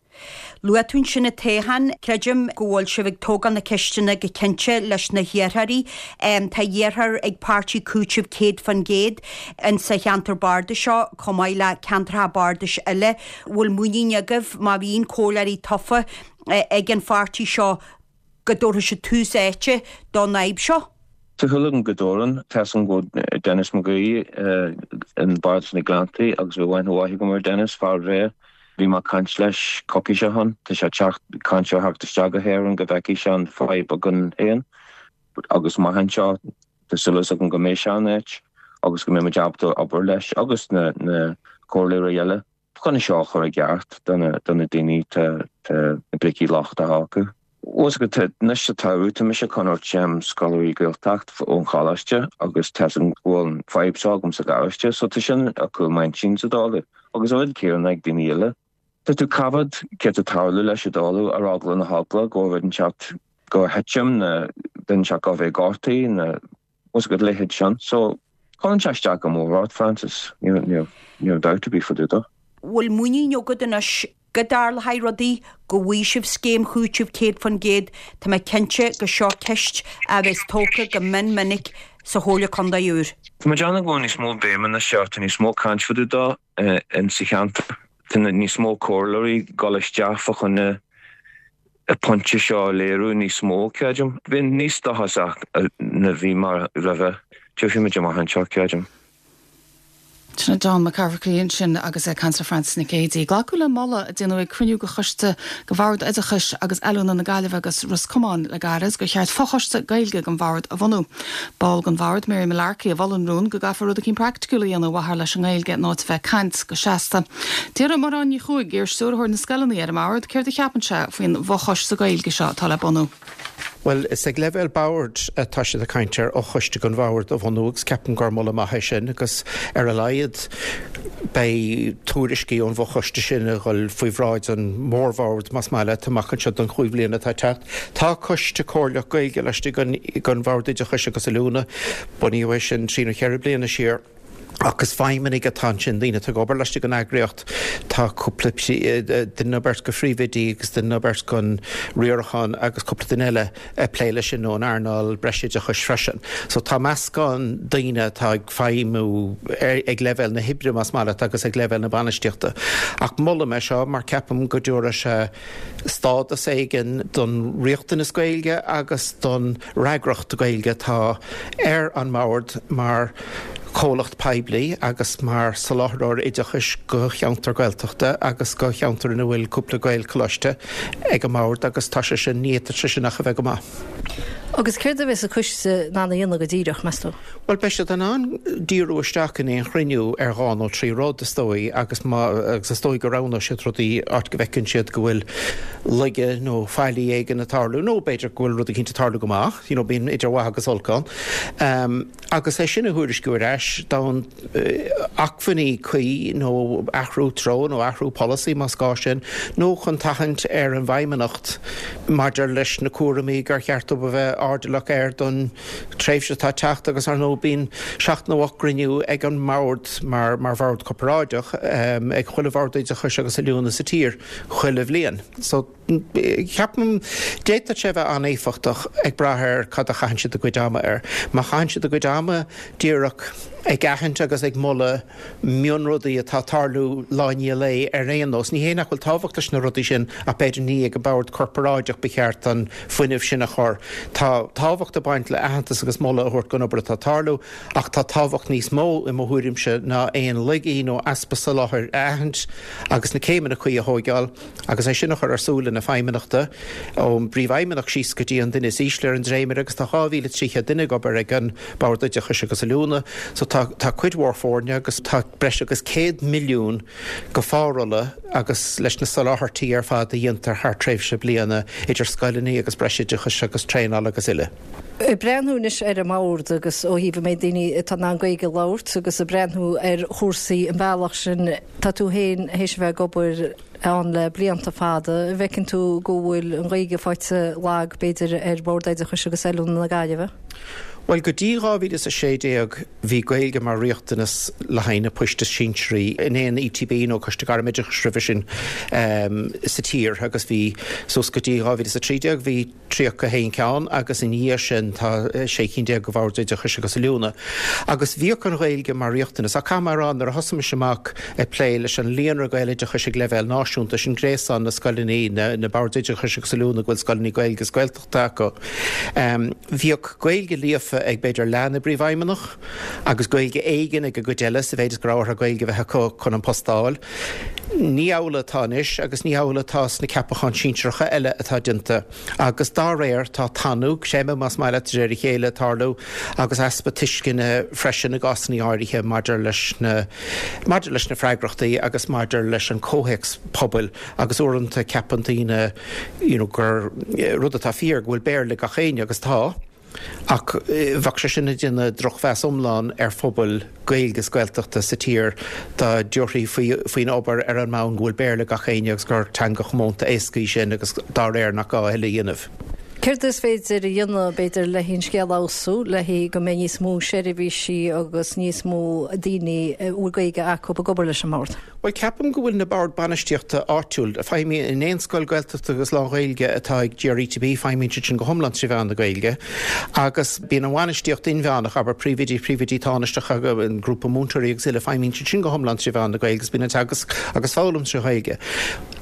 Speaker 2: Luaigh tú ansin an toghchán. Creidim go bhfuil sibh ag tógáil na ceisteanna go cinnte leis na hiarrthóirí. Tá iarrthóir ag páirtí Cúiteamh 100% in sa cheantar bardais seo chomh maith le ceantracha bardais eile. Bhfuil muinín agaibh má bhíonn comhairleoirí tofa ag an pháirtí seo go dtabharfaidh siad tús áite don fhadhb seo?
Speaker 8: Tá súil agam go dtabharfaidh. Tá 'fhios agam go bhfuil Denis McGee in Bardas na Gleanntaí agus bhí aithne mhaith agam ar Denis, fear bhreá. Bhí mé ag caint leis coicís ó shin. Tá sé ag teacht, caint ar theacht isteach go hÉirinn go bhfeicfidh sé an fadhb againn féin agus amach anseo tá súil agam go mbeidh sé in áit agus go mbeidh muid ábalta obair leis agus na comhairleoirí eile. Chun é seo a chur i gceart do na daoine tá na brící lochtacha acu. Bhfuil 'fhios agat, anois sa tsamhradh tá mise ag coinneáil scoláirí Gaeltacht ón choláiste agus tá 'fhios agam go bhfuil an fadhb seo agam sa gharáiste so tá sin ar chúl m'intinn sa dóladh agus an rud céanna ag daoine eile. Tá tú ag coimhéad céard tá ag tarlú leis an dóladh ar eagla na heagla go bhfuil rud inteacht ag titim nó duine inteacht a bheith gortaithe nó Bhfuil 'fhios agat a leithéid sin. So, cuireann sé isteach go mór ort, Frances, níl dabht ar bith fá dtaobh dó.
Speaker 2: Bhfuil muinín agat anois go dtarlóidh rudaí, go bhfaighidh sibh scéim chúitimh 100%? Tá mé cinnte gur seo ceist a bheas tógtha go mion minic sa Chomhairle Contae úr.
Speaker 8: Tá mé ag déanamh go bhfuil níos mó béime anois air, tá níos mó caint fá dtaobh dó in sa cheantar. Tá níos mó comhairleoirí ag dul isteach fá choinne an pointe seo a léiriú níos mó, creidim. Bheinn níos dóchasach ná bhí mé roimhe. Tiocfaidh muid amach anseo, creidim.
Speaker 1: Sin é John McCafferty ansin agus é ag caint le Frances Nic Géadaigh. Glacadh le moladh a déanadh ag cruinniú de choiste de Bhord Oideachais agus Oiliúna na Gaillimhe agus Ros Comáin le gairid gur cheart fochoiste Gaeilge den bhord a bhunú. Ball den bhord, Mary Mullarkey, a mhol an rún go gcaithfear rud eicínt praiticiúil a dhéanamh ar mhaithe leis an nGaeilge in áit a bheith ag caint go seasta. D'iarr Mairéad Ní Chuaig, iar-stiúrthóir na scoileanna ar an mbord, céard a cheapann sé faoin bhfochoiste Gaeilge seo atá le bunú.
Speaker 9: Bhuel, is ag leibhéal boird atá siad ag caint ar fhochoiste den bhord a bhunú agus ceapaim gur moladh maith é sin agus ar a laghad beidh tuairiscí ón bhfochoiste sin ag dhul faoi bhráid an mhórbhoird más maith leat amach anseo don chúig bhliana atá ag teacht. Tá Coiste Comhairleach Gaeilge laistigh den Bhord Oideachais agus Oiliúna. Bunaíodh é sin trí nó cheithre bliana siar. Ach is feidhmeannaigh atá ansin, daoine atá ag obair laistigh den eagraíocht. Tá cúpla duine nó beirt de phríomhoidí agus duine nó beirt den riarachán agus cúpla duine eile ag plé leis sin ón earnáil breisoideachais freisin. So tá meascán daoine atá ag feidhmiú ag leibhéal na hoibre, más maith leat, agus ag leibhéal na bainistíochta. Ach molaim é seo mar ceapaim go dtabharfaidh sé stádas éigin don riachtanas Gaeilge agus don fhreagracht Gaeilge atá ar an mbord mar chomhlacht poiblí agus mar soláthróir oideachais do cheantar Gaeltachta agus do cheantar ina bhfuil cúpla Gaelcholáiste ag an mbord agus tá sé sin, ní fhéadfadh sé sin ach a bheith go maith.
Speaker 10: Agus céard a bheas an coiste in ann a dhéanamh go díreach, meas tú?
Speaker 9: Bhuel, beidh siad in ann díriú isteach in aon chruinniú ar dhá nó trí rud, is dóigh, agus má, agus is dóigh go roghnóidh siad rudaí áit go bhfeiceann siad go bhfuil laige nó faillí éigin ag tarlú, nó b'fhéidir go bhfuil rud eicínt ag tarlú go maith, you know, bíonn idir mhaith agus olc ann. Agus é sin a thuairisciú ar ais d'fhonn acmhainní cuí nó athrú treo nó athrú polasaí más gá sin, nó chun tathant ar an bhFeidhmeannacht maidir leis na cúraimí gur cheart dóibh a bheith airdeallach air don tréimhse atá ag teacht agus ar ndóigh bíonn seacht nó ocht gcruinniú ag an mbord mar mar bhord corparáideach ag chuile bhord oideachais agus oiliúna sa tír chuile bhliain. So. Ceapaim, d'fhéadfadh sé a bheith an-éifeachtach ag brath ar cad a chaitheann siad a gcuid ama air. Má chaitheann siad a gcuid ama díreach ag aithint agus ag moladh mionrudaí atá ag tarlú lá i ndiaidh lae ar aon nós, ní hé nach bhfuil tábhacht leis na rudaí sin ach b'fhéidir ní ag an bord corparáideach ba cheart an fuinneamh sin a chur. Tá tábhacht ag baint le aitheantas agus moladh a thabhairt don obair atá ag tarlú ach tá tábhacht níos mó i mo thuairimse ná aon laigí nó easpa soláthair a aithint agus na céimeanna cuí a thóigeáil. Agus é sin a chur ar súile na feidhmeannachta, ón bPríomhfheidhmeannach síos go dtí an duine is ísle ar an dréimire, agus tá 2,300 duine ag obair ag an Bord Oideachais agus Oiliúna, so tá tá cuid mhór foirne agus tá breis agus 100 milliún go phárolla agus leis na soláthairtí ar fad a dhéantar thar tréimhse bliana idir scoileanna agus breisoideachais agus traenáil agus uile.
Speaker 10: Ag breathnú anois ar an mbord agus ó thaobh an méid daoine atá in ann Gaeilge a labhairt agus ag breathnú ar chúrsaí an bealach sin, tá tú féin théis a bheith ag obair ann le blianta fada, an bhfeiceann tú go bhfuil an Ghaeilge faighte lag, b'fhéidir, ar Bhord Oideachais agus Oiliúna na Gaillimhe?
Speaker 9: Bhuel, go dtí 2016 bhí Gaeilge mar riachtanas le haghaidh na poist is sinsearaí in aon ETB nó Coiste Gairmoideachais roimhe sin sa tír agus bhí suas go dtí 2013 bhí 31 ceann agus ina dhiaidh sin tá 16 cinn de Bhoird Oideachais agus Oiliúna. Agus bhíodh an Ghaeilge mar riachtanas. Ach caithfidh mé a rá, nuair a thosaigh mise amach ag plé leis an Líonra Gaeloideachais ag leibhéal náisiúnta, sin gréasán na scoileanna, na Boird Oideachais agus Oiliúna go bhfuil scoileanna Gaeilge agus Gaeltachta acu, bhíodh Gaeilge líofa ag b'fhéidir leath na bpríomhfheidhmeannach agus Gaeilge éigin ag an gcuid eile sa mhéid is go raibh orthu Gaeilge a bheith acu chun an post a fháil. Ní amhlaidh atá anois agus ní hamhlaidh atá sna ceapacháin sinsearacha eile atá déanta agus dá réir tá tanú, creimeadh más maith leat, de réir a chéile ag tarlú agus easpa tuisceana freisin i gcásanna áirithe maidir leis na maidir leis na freagrachtaí agus maidir leis an comhthéacs pobail agus uaireanta ceapann daoine you know gur rud atá fíor go bhfuil Béarla ag gach éinne agus tá. Ach bheadh sé sin ag déanamh drochmheas iomlán ar phobail Gaeilge is Gaeltachta sa tír dá dtabharfaí faoin obair ar an mbonn go bhfuil Béarla ag gach éinne agus gur teanga chomónta éasca í sin agus dá réir nach gá a thuilleadh a dhéanamh.
Speaker 10: Céard is féidir a dhéanamh, b'fhéidir, le an scéal a fheabhsú, le go mbeidh níos mó seirbhísí agus níos mó daoine a bhfuil Gaeilge acu ag obair leis an mBord?
Speaker 9: Bhuel, ceapaim go bhfuil na boird bainistíochta áitiúil, a feidhmíonn in aon scoil Gaeltachta agus lán-Ghaeilge atá ag GRETB, feidhmíonn siad sin go hiomlán trí mheán na Gaeilge agus bíonn an bhainistíocht inmheánach, abair príomhoidí, príomhoidí tánaisteacha, an grúpa múinteoirí agus uile, feidhmíonn siad sin go hiomlán trí mheán na Gaeilge agus bíonn an teagasc agus foghlaim trí Ghaeilge.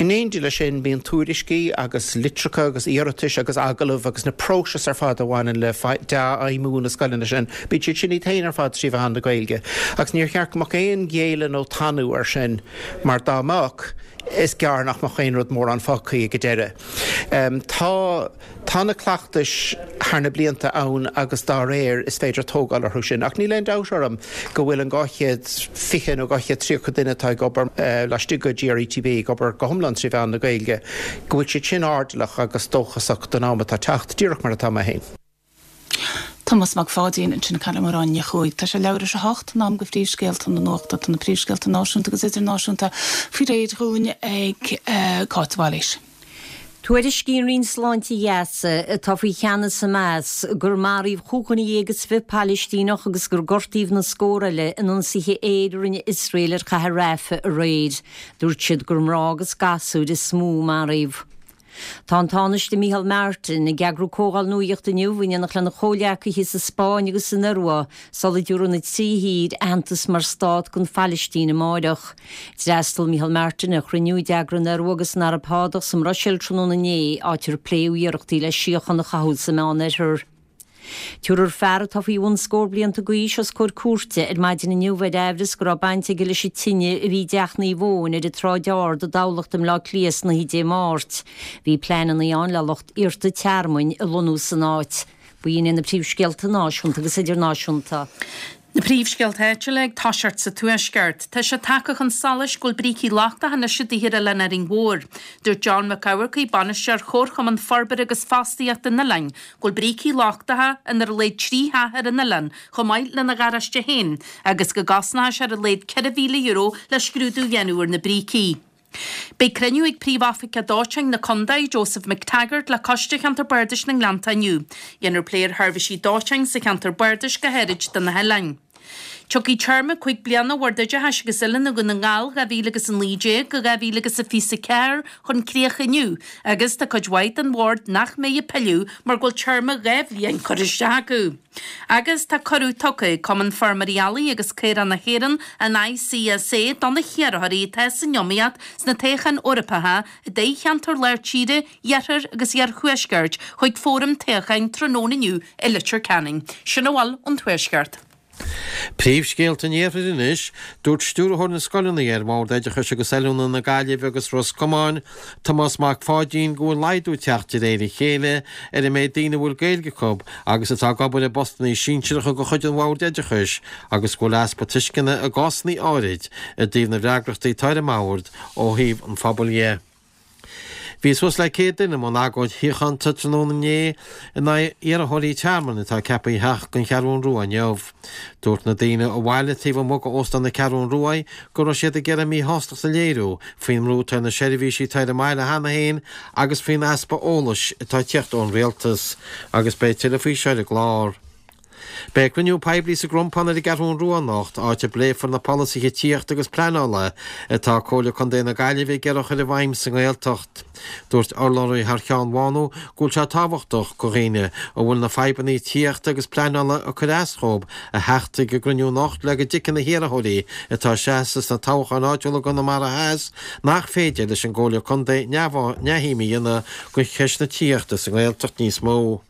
Speaker 9: In éindí leis sin, bíonn tuairiscí agus litreacha agus iarratais agus agallaimh agus na próisis ar fad a bhaineann le dea-fheidhmiú na scoileanna sin, Bíonn siad sin iad féin ar fad trí mheán na Gaeilge agus níor cheart go mbeadh aon ghéilleadh nó tanú air sin mar dá mbeadh, is gearr nach mbeadh aon rud mórán fágtha ag an deireadh. Tá tá na cleachtais thar na blianta ann agus dá réir is féidir tógáil orthu sin ach níl aon dabht orm go bhfuil an 220 nó 230 duine atá ag obair laistigh de GRETB ag obair go hiomlán trí mheán na Gaeilge, go bhfuil siad sin airdeallach agus dóchasach don am atá teacht, díreach mar atá mé féin.
Speaker 1: Tomás Mac Pháidín ansin ag caint le Máire Ní Chuaig. Tá sé leathuair tar éis a 8, in am do phríomhscéalta na nuachta. Tá na príomhscéalta náisiúnta agus idirnáisiúnta faoi réir dhúinn ag Cáit de Bhailís.
Speaker 2: Tuairiscíonn Roinn Sláinte Ghaza, atá faoi cheannas Hamas, gur maraíodh 25 Palaistíneach agus gur gortaíodh na scór eile in ionsaithe aeir a rinne Iosrael ar chathair Rafah aréir. Dúirt siad gur mná agus gasúir is mó a maraíodh. Tá an Tánaiste Micheál Martin ag eagrú comhdháil nuaíochta inniu in éineacht lena chomhghleacaithe sa Spáinn agus san Iorua sula dtabharfaidh na trí thír aitheantas mar stát don Phalaistín amáireach. D'fhreastail Micheál Martin ar chruinniú a d'eagraigh an Iorua agus an Araib Shádach sa mBruiséil tráthnóna inné, áit ar pléadh iarrachtaí le síocháin a chothú sa Meánoirthear. Tabharfar fear atá faoi bhun scór blianta d'aois os comhair cúirte ar maidin inniu ar aimhreas go raibh baint aige leis an tine a bhí i dTeach Naomh Eoin ar an tSráid Ard i dTamhlacht i mBleá Cliath san oíche Dé Máirt. Bhí pleananna ann le lucht iarrta tearmainn a lonnú san áit. B'in iad na príomhscéalta náisiúnta agus idirnáisiúnta.
Speaker 3: Na príomhscéalta áitiúla ag toiseacht sa Tuaisceart. Tá sé tagtha chun solais go bhfuil brící lochtacha anois i dtithe ar Oileán Árainn Mhór. Dúirt John Mac Eamharcaigh, Bainisteoir Chomharchumann Forbartha agus Fostaíochta an oileáin, go bhfuil brící lochtacha in ar a laghad 3 theach ar an oileán, chomh maith lena gharáiste féin, agus go gcosnóidh sé ar a laghad €4,000 le scrúdú a dhéanamh ar na brící. Beidh cruinniú ag Príomh-Oifigeach Dóiteáin na Condae, Joseph McTaggart, le Coiste Cheantar Bardais na nGleannta inniu. Dhéanfar plé ar sheirbhísí dóiteáin sa cheantar bardais go háirid do na hoileáin. Tiocfaidh téarma 5 bliana Bhord Oideachais agus Oiliúna Dhún na nGall 2019 go 2024 chun críocha inniu agus tá cuid mhaith den bhord nach mbeidh ag pilleadh mar go bhfuil téarma 2 bhliain curtha isteach acu. Agus tá cuireadh tugtha ag Cumann Feirmeoirí Eallaigh agus Caorach na hÉireann, an ICSA, do na hiarrthóirí atá san iomaíocht sna toghcháin Eorpacha i dtoghcheantar Lár Tíre, Iarthair agus Iarthuaiscirt chuig fóram toghcháin tráthnóna inniu i Leitir Ceanainn. Sin a bhfuil ón Tuaisceart.
Speaker 4: Príomhscéalta an Iarthair anois, Dúirt Stiúrthóir na Scoileanna ar Bhord Oideachais agus Oiliúna na Gaillimhe agus Ros Comáin, Tomás Mac Pháidín, go bhfuil laghdú ag teacht de réir a chéile ar an méid daoine a bhfuil Gaeilge acu agus atá ag obair i bpostanna sinsearacha de chuid an Bhoird Oideachais agus go bhfuil easpa tuisceana i gcásanna áirid i dtaobh na bhfreagrachtaí atá ar an mBord ó thaobh an phobail dhe. Bhí suas le 100 duine i mbun agóid shíochánta tráthnóna inné in aghaidh iarrthóirí tearmainn atá ceaptha a theacht don Cheathrún Rua inniu. Dúirt na daoine a bhailigh taobh amuigh d'Óstán na Ceathrún Rua go raibh siad ag iarraidh a míshástacht a léiriú faoin mbrú atá ar na seirbhísí atá ar an mbaile cheana féin agus faoin easpa eolais atá ag tíocht ón rialtas. Agus beidh tuilleadh faoi seo ar an gclár. Beidh cruinniú poiblí sa gCrompán ar an gCeathrún Rua anocht, áit a bpléifear na polasaithe tithíochta agus pleanála atá Comhairle Contae na Gaillimhe ag iarraidh a chur i bhfeidhm sa nGaeltacht. Dúirt urlabhraí thar cheann Mhánú go bhfuil sé tábhachtach do dhaoine a bhfuil na fadhbanna tithíochta agus pleanála ag cur as dhóibh a theacht chuig an gcruinniú anocht le go dtuigfidh na hiarrthóirí atá ag seasamh sna toghcháin áitiúla i gConamara Theas nach féidir leis an gComhairle Contae neamhshuim a dhéanamh de cheist na tithíochta sa nGaeltacht níos mó.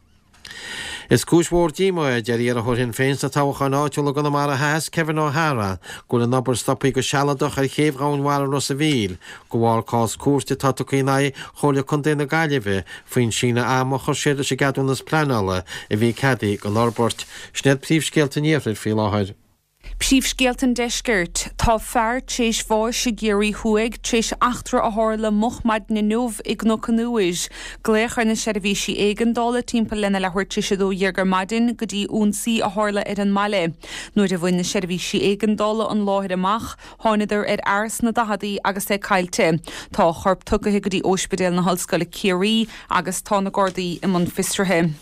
Speaker 4: Is cúis mhór díomá é, a deir iarrthóir Shinn Féin sna toghcháin áitiúla i gConamara Theas, Kevin O'Hara, go bhfuil an obair stoptha go sealadach ar chéibh Dhomhain Mhara Ros a' Mhíl, de bharr cás cúirte atá tugtha in aghaidh Chomhairle Contae na Gaillimhe faoin síneadh ama a chuir siad leis an gceadúnas pleanála a bhí ceadaithe don fhorbairt. Sin iad príomhscéalta an Iarthair faoi láthair.
Speaker 5: Príomhscéalta an Deiscirt. Tá fear tréis bháis i gCiarraí Thuaidh tréis eachtra a tharla moch maidin inniu i gCnoc an Iúir. Glaodh ar na seirbhísí éigeandála timpeall lena leathuair tréis 12 ar maidin go dtí ionsaí a tharla ar an mbaile. Nuair a bhain na seirbhísí éigeandála an láthair amach, thánadar ar fhear sna daicheadaí agus é caillte. Tá a chorp tugtha go dtí Óispidéal na hOllscoile Ciarraí agus tá na Gardaí i mbun fiosraithe.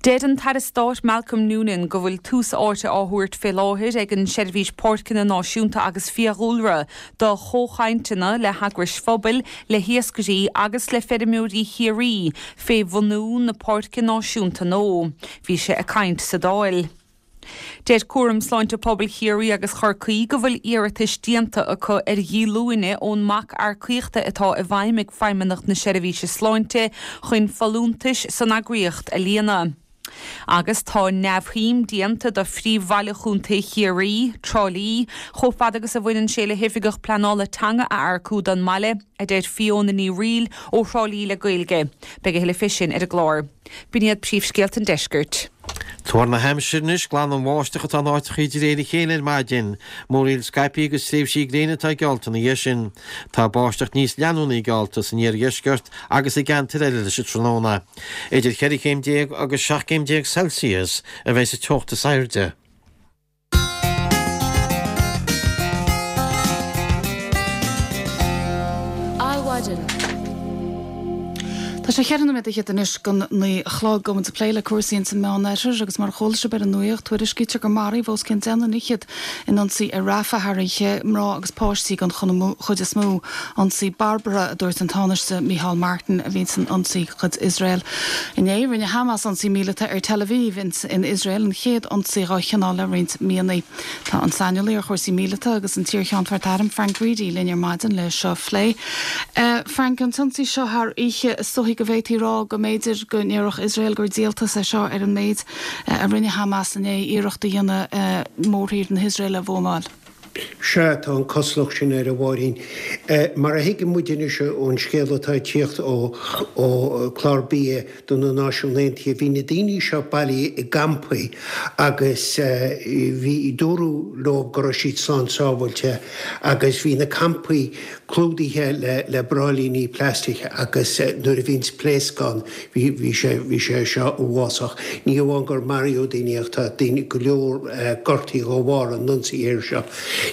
Speaker 5: Deir an tAire Stáit Malcolm Noonan go bhfuil tús áite á thabhairt fé láthair ag an Seirbhís Páirceanna Náisiúnta agus Fiadhúlra do chomhchainteanna le heagrais phobail, le hiascairí agus le feirmeoirí Chiarraí fé bhunú na Páirce Náisiúnta nua. Bhí sé ag caint sa Dáil. Deir Cúram Sláinte Pobail Chiarraí agus Chorcaí go bhfuil iarratais déanta acu ar dhíolúine ón mbac earcaíochta atá i bhfeidhm ag Feidhmeannacht na Seirbhíse Sláinte chun folúntais san eagraíocht a líonadh. Agus tá neamhshuim déanta do phríomhbhaile Chontae Chiarraí, Trá Lí, chomh fada agus a bhaineann sé le hOifigeach Pleanála Teanga a earcú don mbaile, a deir Fiona Ní Fhrighil ó Thrá Lí le Gaeilge. Beidh a thuilleadh fé sin ar an gclár. B'in iad príomhscéalta an deiscirt.
Speaker 4: Tuar na haimsire anois, glanann bháisteach atá in áiteachaí de réir a chéile ar maidin. Múraíl scaipthe agus tréimhsí gréine atá geallta ina dhiaidh sin. Tá báisteach níos leanúnaí geallta san iardheisceart agus i gceantair eile leis an tráthnóna. Idir cheithre chéim déag agus 17 céim Celsius a bheidh sa teocht is airde.
Speaker 1: Adhmhaidin. Tá sé cheithre nóiméad fhichead anois don 9 a chlog. Tá muid ag plé le cúrsaí ins an Meánoirthear agus mar a chuala sibh ar an nuaíocht, tuairiscítear gur maraíodh os cionn 10 nduine fhichead in ionsaí ar Rafah thar oíche, mná agus páistí den chuid is mó. Ionsaí barbartha, a dúirt an Tánaiste Micheál Martin, a bhí san ionsaí de chuid Iosrael. Inné, rinne Hamas ionsaí míleata ar Tel Aviv in Iosrael, an chéad ionsaí dhá chineál le roinnt míonna. Tá an saineolaí ar chúrsaí míleata agus an t-iarCheannfort Airm, Frank Reidy, linn ar maidin le seo a phlé. Frank, an t-ionsaí seo thar oíche, is dóichí go bhféadfaí a rá go mb'fhéidir go ndéarfadh Iosrael gur díoltas é seo ar an méid a rinne Hamas inné, iarracht a dhéanamh mórthír na hIosraeile a bhuamáil.
Speaker 11: Sea, tá an cosúlacht sin air, a Mháirín. Mar a thuigeann muid anois ón scéal atá ag tíocht ó Chlár Bia do na Náisiún Aontaithe, bhí na daoine seo bailithe i gcampaí agus bhí, dúradh leo go raibh siad slán sábháilte agus bhí na campaí clúdaithe le bráillíní plaistice agus nuair a bhíonns pléasc ann, Bhí, bhí sé, bhí sé seo uafásach. Ní amháin gur maraíodh daoine ach tá daoine, go leor gortaithe de bharr an ionsaí aeir seo.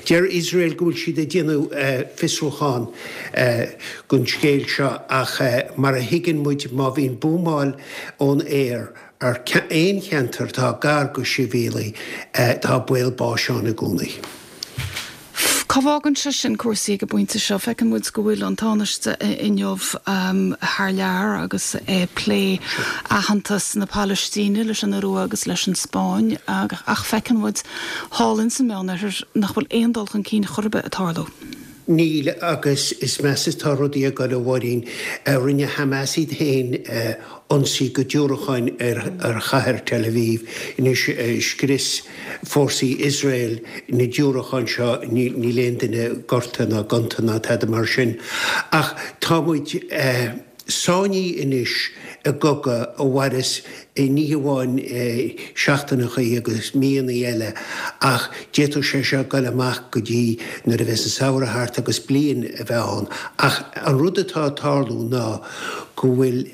Speaker 11: Deir Iosrael go bhfuil siad ag déanamh fiosrúchán gon scéal seo ach mar a thuigeann muid má bhíonn buamáil ón aer ar aon cheantar atá gar go sibhialaigh tá baol báis ann i gcónaí.
Speaker 1: F, Cá bhfágann sé sin cúrsaí ag an bpointe seo? Feiceann muid go bhfuil an Tánaiste inniu thar lear agus é ag plé aitheantas na Palaistíne leis an Iorua agus leis an Spáinn ach feiceann muid thall ins an Meánoirthear nach bhfuil aon dul chun cinn chor ar bith ag tarlú.
Speaker 11: Níl, agus is measa atá rudaí ag goil, a Mháirín. Rinne Hamas iad féin ionsaí go diúracáin ar chathair Tel Aviv. Anois scrios fórsaí Iosrael na diúracáin seo, níl aon duine gortaithe ná gonta ná tada mar sin. Ach tá muid sáinnithe anois i gcogadh a mhairfeas ní hamháin seachtaineachaí agus míonnaí eile ach d'fhéadfadh sé seo goil amach go dtí nuair a bheas an samhradh thart agus bliain a bheith ann. Ach an rud atá ag tarlú ná go bhfuil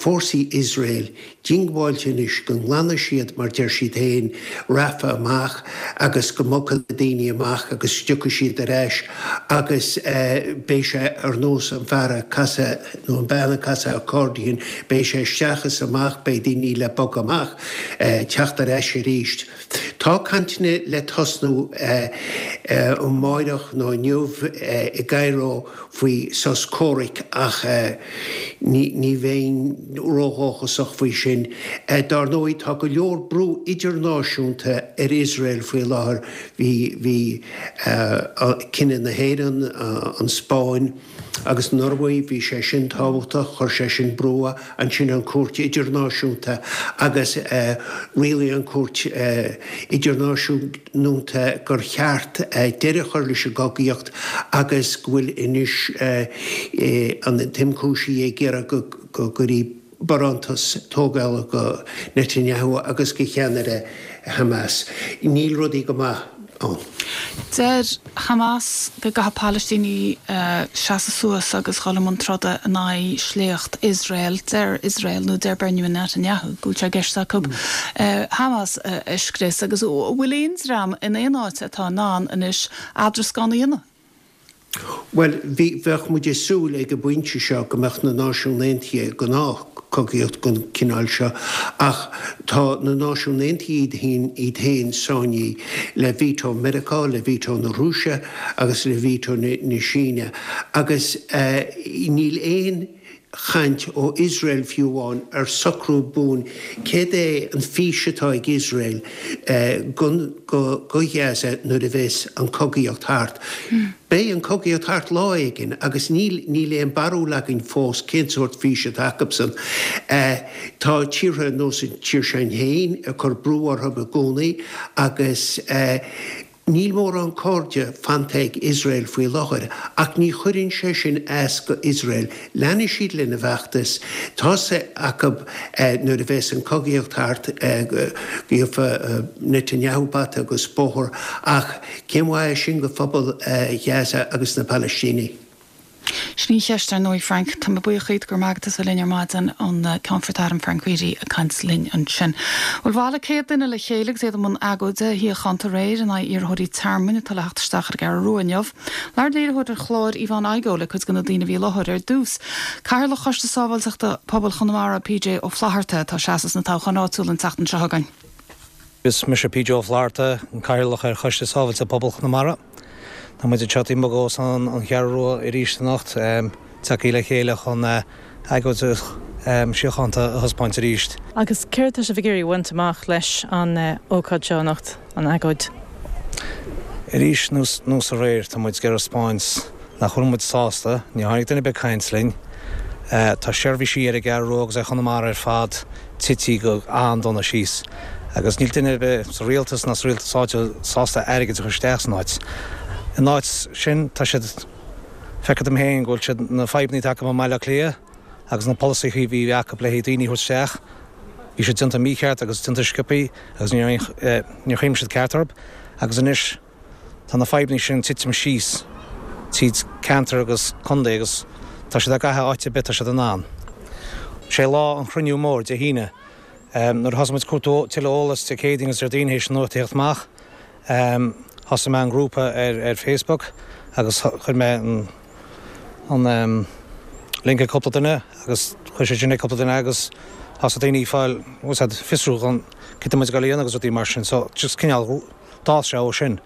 Speaker 11: fórsaí Iosrael diongbháilte anois go nglanfaidh siad, mar deir siad féin, Rafah amach agus go mbogfaidh na daoine amach agus tiocfaidh siad ar ais agus beidh sé ar nós an fear ag casadh nó an bean ag casadh accordion, beidh sé isteach is amach, beidh daoine le bogadh amach, teacht ar ais arís. Tá cainteanna le tosnú amáireach nó inniu i gCairo faoi sos comhraic ach ní bheinn ródhóchasach faoi sin. Dár ndóigh tá go leor brú idirnáisiúnta ar Iosrael faoi láthair. Bhí bhí cinneadh na hÉireann, an Spáinn agus an Ioruaidh, bhí sé sin tábhachtach, chuir sé sin brú, ansin an Cúirt Idirnáisiúnta agus rialaigh an Cúirt Idirnáisiúnta, nta gur cheart deireadh a chur leis an gcogaíocht agus go bhfuil anois an t-ionchúisí ag iarraidh go gcuirfí barántas tógála go Netanyahu agus go cheannaire Hamas. Níl rudaí go maith ann.
Speaker 1: Deir Hamas go gcaithfidh Palaistínigh seasamh suas agus dhul i mbun troda in aghaidh sléacht Iosrael. Deir Iosrael, nó deir Benjamin Netanyahu, go bhfuil sé i gceist acu Hamas a scrios. Agus an bhfuil aon dream in aon áit atá in ann anois eadrascán a dhéanamh?
Speaker 11: Bhuel, bhí, bheadh muid ag súil ag an bpointe seo go mbeadh na Náisiúin Aontaithe i ngnáth-chogaíocht den chineál seo, ach tá na Náisiúin Aontaithe iad féin sáinnithe le veto Mheiriceá, le veto na Rúise agus le veto na Síne agus níl aon chaint ó Iosrael fiú amháin ar socrú buan céard é an fís atá ag Iosrael go Gaza nuair a bheas an cogaíocht thart. Beidh an cogaíocht thart lá éigin agus níl níl aon barúil againn fós cén sórt fís atá acusan. Tá tíortha ar nós an tír sin féin ag cur brú orthu i gcónaí agus Níl mórán cairde fanta ag Iosrael faoi láthair, ach ní chuireann sé sin as go Iosrael. Leanfaidh siad lena bhfeachtas. Tá's acu nuair a bheas an cogaíocht thart go gheobhaidh Netanyahu bata agus bóthar, ach cén mhaith é sin go phobal Ghaza agus na Palaistínigh?
Speaker 1: Sin í an cheist, ar ndóigh, Frank. Tá mé buíoch díot, go raibh maith agat as a bheith linn ar maidin, an Ceannfort Airm Frank Reidy ag caint linn ansin. Bhuel, bhailigh 100 duine le chéile agus iad i mbun agóide shíochánta aréir in aghaidh iarrthóirí tearmainn atá le theacht isteach ar an gCeathrú Rua inniu. Labhair léiritheoir an chláir, Yvonne Igoe, le cuid de na daoine a bhí i láthair ar dtús. Cathaoirleach Choiste Sábháilteachta Pobail Chonamara, PJ Ó Flatharta, atá ag seasamh sna toghcháin áitiúla an tseachtain seo chugainn.
Speaker 12: Is mise PJ Ó Flatharta, an Cathaoirleach ar Choiste Sábháilteachta Pobail Chonamara. Tá muid anseo taobh amuigh d'Óstán an Cheathrú Rua arís anocht, tagtha le chéile chun agóid síochánta a thaispeáint arís.
Speaker 13: Agus céard atá sibh ag iarraidh a bhaint amach leis an ócáid seo anocht, an agóid?
Speaker 12: Arís, nós aréir, tá muid ag iarraidh a 'spáint nach bhfuil muid sásta, níor tháinig duine ar bith ag caint linn. Tá seirbhísí ar an gCeathrú Rua agus ar Chonamara ar fad tití go an-dona síos agus níl duine ar bith sa rialtas ná sa rialtas áitiúil sásta airgead a chur isteach san áit. In áit sin, tá siad, feictear dom féin go bhfuil siad, na fadhbanna atá acu i mBaile Átha Cliath agus na polasaithe a bhí acu le haghaidh daoine a thabhairt isteach, bhí siad déanta mícheart agus déanta sciobthaí agus níor chuimhnigh siad ceart orthu agus anois, Tá na fadhbanna sin ag titim síos tríd ceantar agus contae agus tá siad á gcaitheamh áit ar bith tá siad in ann. Sé lá an chruinniú mór, Dé hAoine, nuair a thosaigh muid ag cuartú tuilleadh eolas Dé Céadaoin agus Déardaoin théis an nuacht a theacht amach,. Thosaigh mé an grúpa ar ar Facebook agus chuir mé an an link ag cúpla duine agus chuir siad sin ag cúpla duine agus thosaigh daoine ag fáil bhfuil 's a'd fiosrúchán cad tá muid ag dul a dhéanamh agus rudaí mar sin so just cineál d'fhás sé ó sin.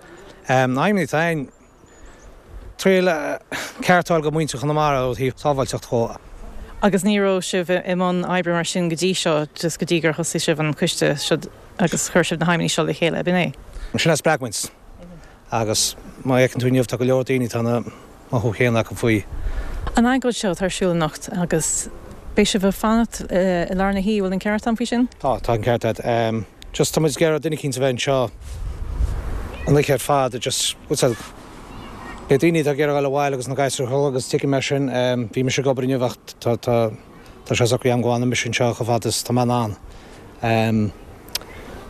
Speaker 12: Na haidhmeanna atá a'inn, triail ceart a fháil go muintir Chonamara ó thaobh sábháilteacht dhó.
Speaker 13: Agus ní raibh sibh i mbun oibre mar sin go dtí seo, just go dtí gur thosaigh sibh an coiste seo agus chuir sibh na haidhmeanna seo le chéile, ab in é?
Speaker 12: Sin a spreag muid. Agus má fheiceann tú inniu tá go leor daoine, tá an mothú céanna acu faoi.
Speaker 13: An agóid seo atá ar siúl anocht agus beidh sibh ag fanacht i lár na hoíche, bhfuil an ceart agam faoi sin?
Speaker 12: Tá, tá an ceart agat. Just tá muid ag iarraidh duine eicínt a bheith anseo an oíche ar fad, just, bhfuil 's a'd, beidh daoine atá ag iarraidh dul abhaile agus na gasúir a chodladh agus tuigim é sin. Bhí mise ag obair inniu ach tá, tá, tá sé socraithe agam go bhfanfaidh mise anseo chomh fada is tá mé in ann.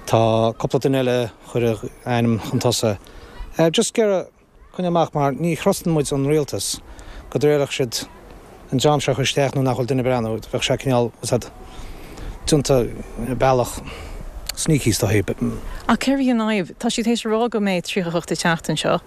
Speaker 12: Tá cúpla duine eile chuir a ainm chun tosaigh. Just ag iarraidh coinneáil amach mar ní thrustann muid an rialtas go dtriailfeadh siad an dream seo a chur isteach nuair nach bhfuil duine ag breathnú. Bheadh sé cineál, bhfuil 's a'd, déanta bealach sneaky is dóigh.
Speaker 13: Ach cérbh í an fhadhb? Tá siad théis a rá go mbeidh 38 ag teacht anseo.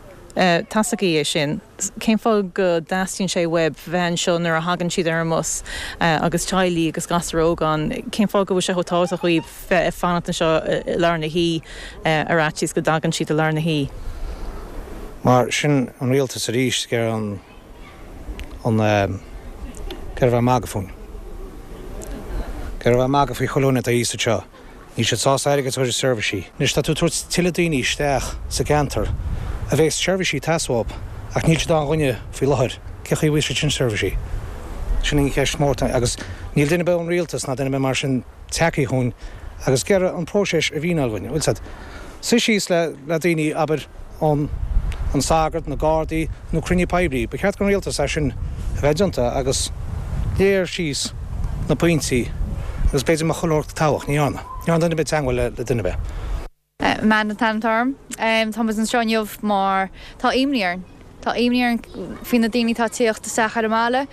Speaker 13: Tá's agaibh é sin. Cén fáth go dteastaíonn sé uaibh bheith anseo nuair a thagann siad ar an mbus agus teaghlaigh agus gasúir óga ann? Cén fáth go bhfuil sé chomh tábhachtach dhaoibh bheith ag fanacht anseo i lár na hoíche ar fhaitíos go dtagann siad i lár na hoíche?
Speaker 12: Mar sin an rialtas arís ag iarraidh an an ag iarraidh bheith ag magadh fúinn. Ag iarraidh bheith ag magadh faoi chuile dhuine atá thíos anseo. Níl siad sásta airgead a chur i seirbhísí. Anois tá tú ag tabhairt tuilleadh daoine isteach sa gceantar a bheas seirbhísí ag teastáil uathu ach níl siad ann dhuine faoi láthair. Cé chaoi a bhfaighidh siad sin seirbhísí? Sin an cheist mhór agus níl duine ar bith ón rialtas ná duine ar bith mar sin tagtha chugainn agus ag iarraidh an próiseas a mhíneáil dhuinn. Bhfuil 's a'd. Suí síos le le daoine, abair, ón an sagart, na Gardaí, nó cruinniú poiblí. Ba cheart don rialtas é sin a bheith déanta agus léir síos na pointí agus b'fhéidir mbeadh chuile shórt toghach. Ní dhearna. Ní dhearna duine ar bith teagmháil le duine ar bith.
Speaker 14: Amanda an t-ainm atá orm. Tá muid anseo inniu mar tá imní orainn. Tá imní orainn faoi na daoine atá ag tíocht isteach ar an mbaile.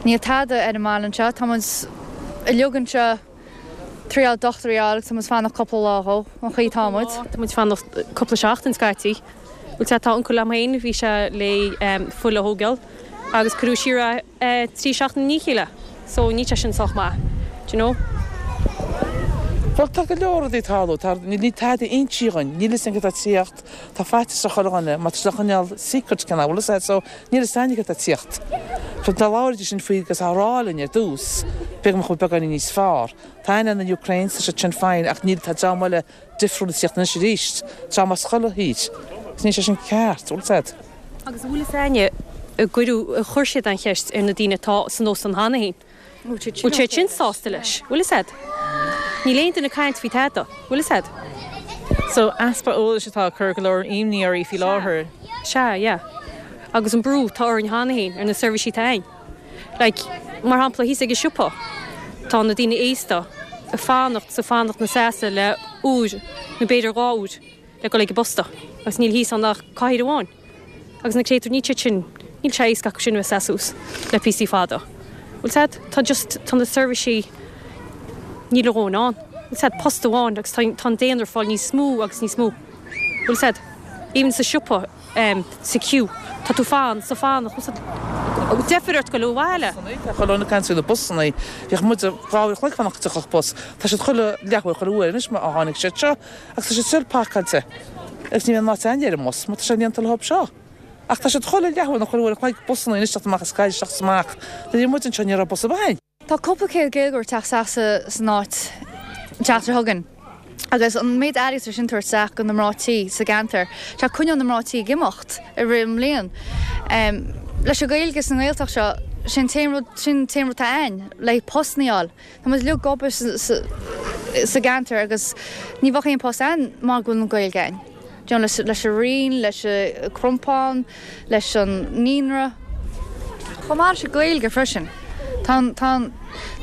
Speaker 14: Níl tada ar an mbaile anseo. Tá muid uilig anseo. Triail dochtúirí a fháil agus tá muid fanacht cúpla lá dhó, an chaoi atá muid.
Speaker 13: Tá muid fanacht cúpla seachtain scaití. Bhuel sea, tá uncail liom féin, bhí sé le fuil a thógáil agus cuireadh siar é 3 seachtaine i ndiaidh a chéile. So níl sé sin sách maith, do you know.
Speaker 15: Bhuel tá go leor rudaí ag tarlú, tá, níl tada insithe dhuinn, níl fhios againn cad tá ag tíocht, tá faitíos ar chuile dhuine mar tá siad á choinneáil secret cineál, bhfuil fhios a'd, so níl fhios a'inn cad tá ag tíocht. So dá labhraídís linn faoi agus á rá linn ar dtús, b'fhéidir go mbeadh muid beagáinín níos fearr. Tá aithne ar na Ukrainians, tá siad sin fine ach níl, tá dream eile difriúil ag tíocht anois arís, dream as chuile thír. Agus níl sé sin ceart, bhfuil fhios a'd.
Speaker 13: Agus an bhfuil fhios a'inne, an gcuireadh, ar chuir siad an cheist ar na daoine atá san óstán cheana féin? Bhfuil siad sin sásta leis? Bhfuil fhios a'd? Níl aon duine ag caint faoi tada. Bhfuil fhios a'd? So, easpa eolais atá ag cur go leor imní oraibh faoi láthair. Sea, yeah. Agus an brú atá orainn cheana féin ar na seirbhísí atá a'inn. Like, mar shampla, thíos ag an siopa, tá na daoine aosta ag fanacht 's ag fanacht 'na seasamh le uair nó b'fhéidir 2 uair le dul ag an bposta agus níl thíos ann ach cathaoir amháin. Agus na créatúir, níl siad sin, níl sé éasca acu sin a bheith ag seasamh suas le píosaí fada. Bhfuil 's a'd? Tá just, tá na seirbhísí, níl a dhóthain ann. Bhfuil 's a'd? Post amháin agus tá, tá an daonra ag fáil níos mó agus níos mó. Bhfuil 's a'd? Even sa siopa, em, sa queue, tá tú fan, sa fanacht, bhfuil 's a'd? Deifir ort goil abhaile.
Speaker 15: Tá chuile dhuine ag caint faoi na busanna. Bhíodh muid 2 uair a chloig ag fanacht go dtiocfadh bus. Tá siad chuile leathuair, chuile uair anois má tháinig siad seo. Agus tá siad still pacáilte agus ní bhíonn áit a'inn ar an mbus mar tá sé líonta leo seo. Ach tá siad chuile leathuair nó chuile uair a chloig busanna anois teacht amach as Gaillimh isteach is amach. Nuair a bhí muid anseo ní raibh bus ar bith a'inn.
Speaker 14: Tá cúpla céad Gaeilgeoir ag teacht isteach san áit an tseachtain seo chugainn agus an méid airgid atá sin tabhairt isteach go na mná tí sa gceantar, tá coinneáil na mná tí ag imeacht i rith an mbliain. Leis an Ghaeilge sa nGaeltacht seo, sin t-aon rud, sin t-aon rud atá a'inn le postanna a fháil. Tá muid uilig ag obair sa gceantar agus ní bheadh aon post a'inn mura bhfuil an Ghaeilge a'inn. Do you know, leis an Roinn, leis an Crompán, leis an Naíonra. Chomh maith leis an Ghaeilge freisin. Tá an, tá an,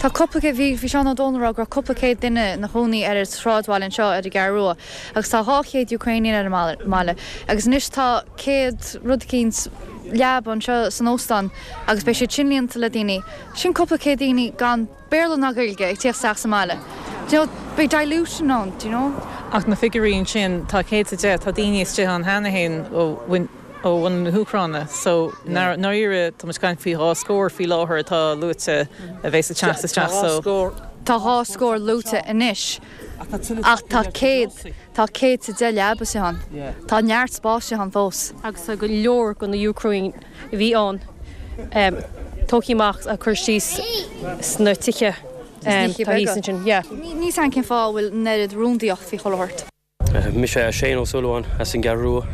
Speaker 14: tá cúpla céad, bhí, bhí Seán Ó Dónaill ag rá go raibh cúpla céad duine ina chónaí ar an sráidbhaile anseo ar an gCeathrú Rua agus tá 200 Ukrainian ar an mbaile agus anois tá 100 rud eicínt leaba anseo san óstán agus beidh siad sin líonta le daoine. Sin cúpla céad daoine gan Béarla ná Gaeilge ag tíocht isteach sa mbaile. Do you know, beidh dilution ann, do you know.
Speaker 16: Ach na figiúirí ansin, tá 110, tá daoine istigh ann cheana féin ó ó bhunadh na hÚcráine so i ndáiríre tá muid ag caint faoi dhá scór faoi láthair atá luaite a bheas ag teacht isteach so.
Speaker 14: Tá dhá scór luaite anois ach tá 100, tá 110 leaba istigh ann. Tá neart spáis istigh ann fós.
Speaker 13: Agus tá go leor de na Úcráin a bhí ann tógtha amach agus curtha síos sna tithe
Speaker 14: tá thíos ansin. Yeah. Níl 's a'm cén fáth a bhfuil an oiread rúndaíocht faoi chuile shórt.
Speaker 17: Mise Shane Ó Súilleabháin as an gCeathrú Rua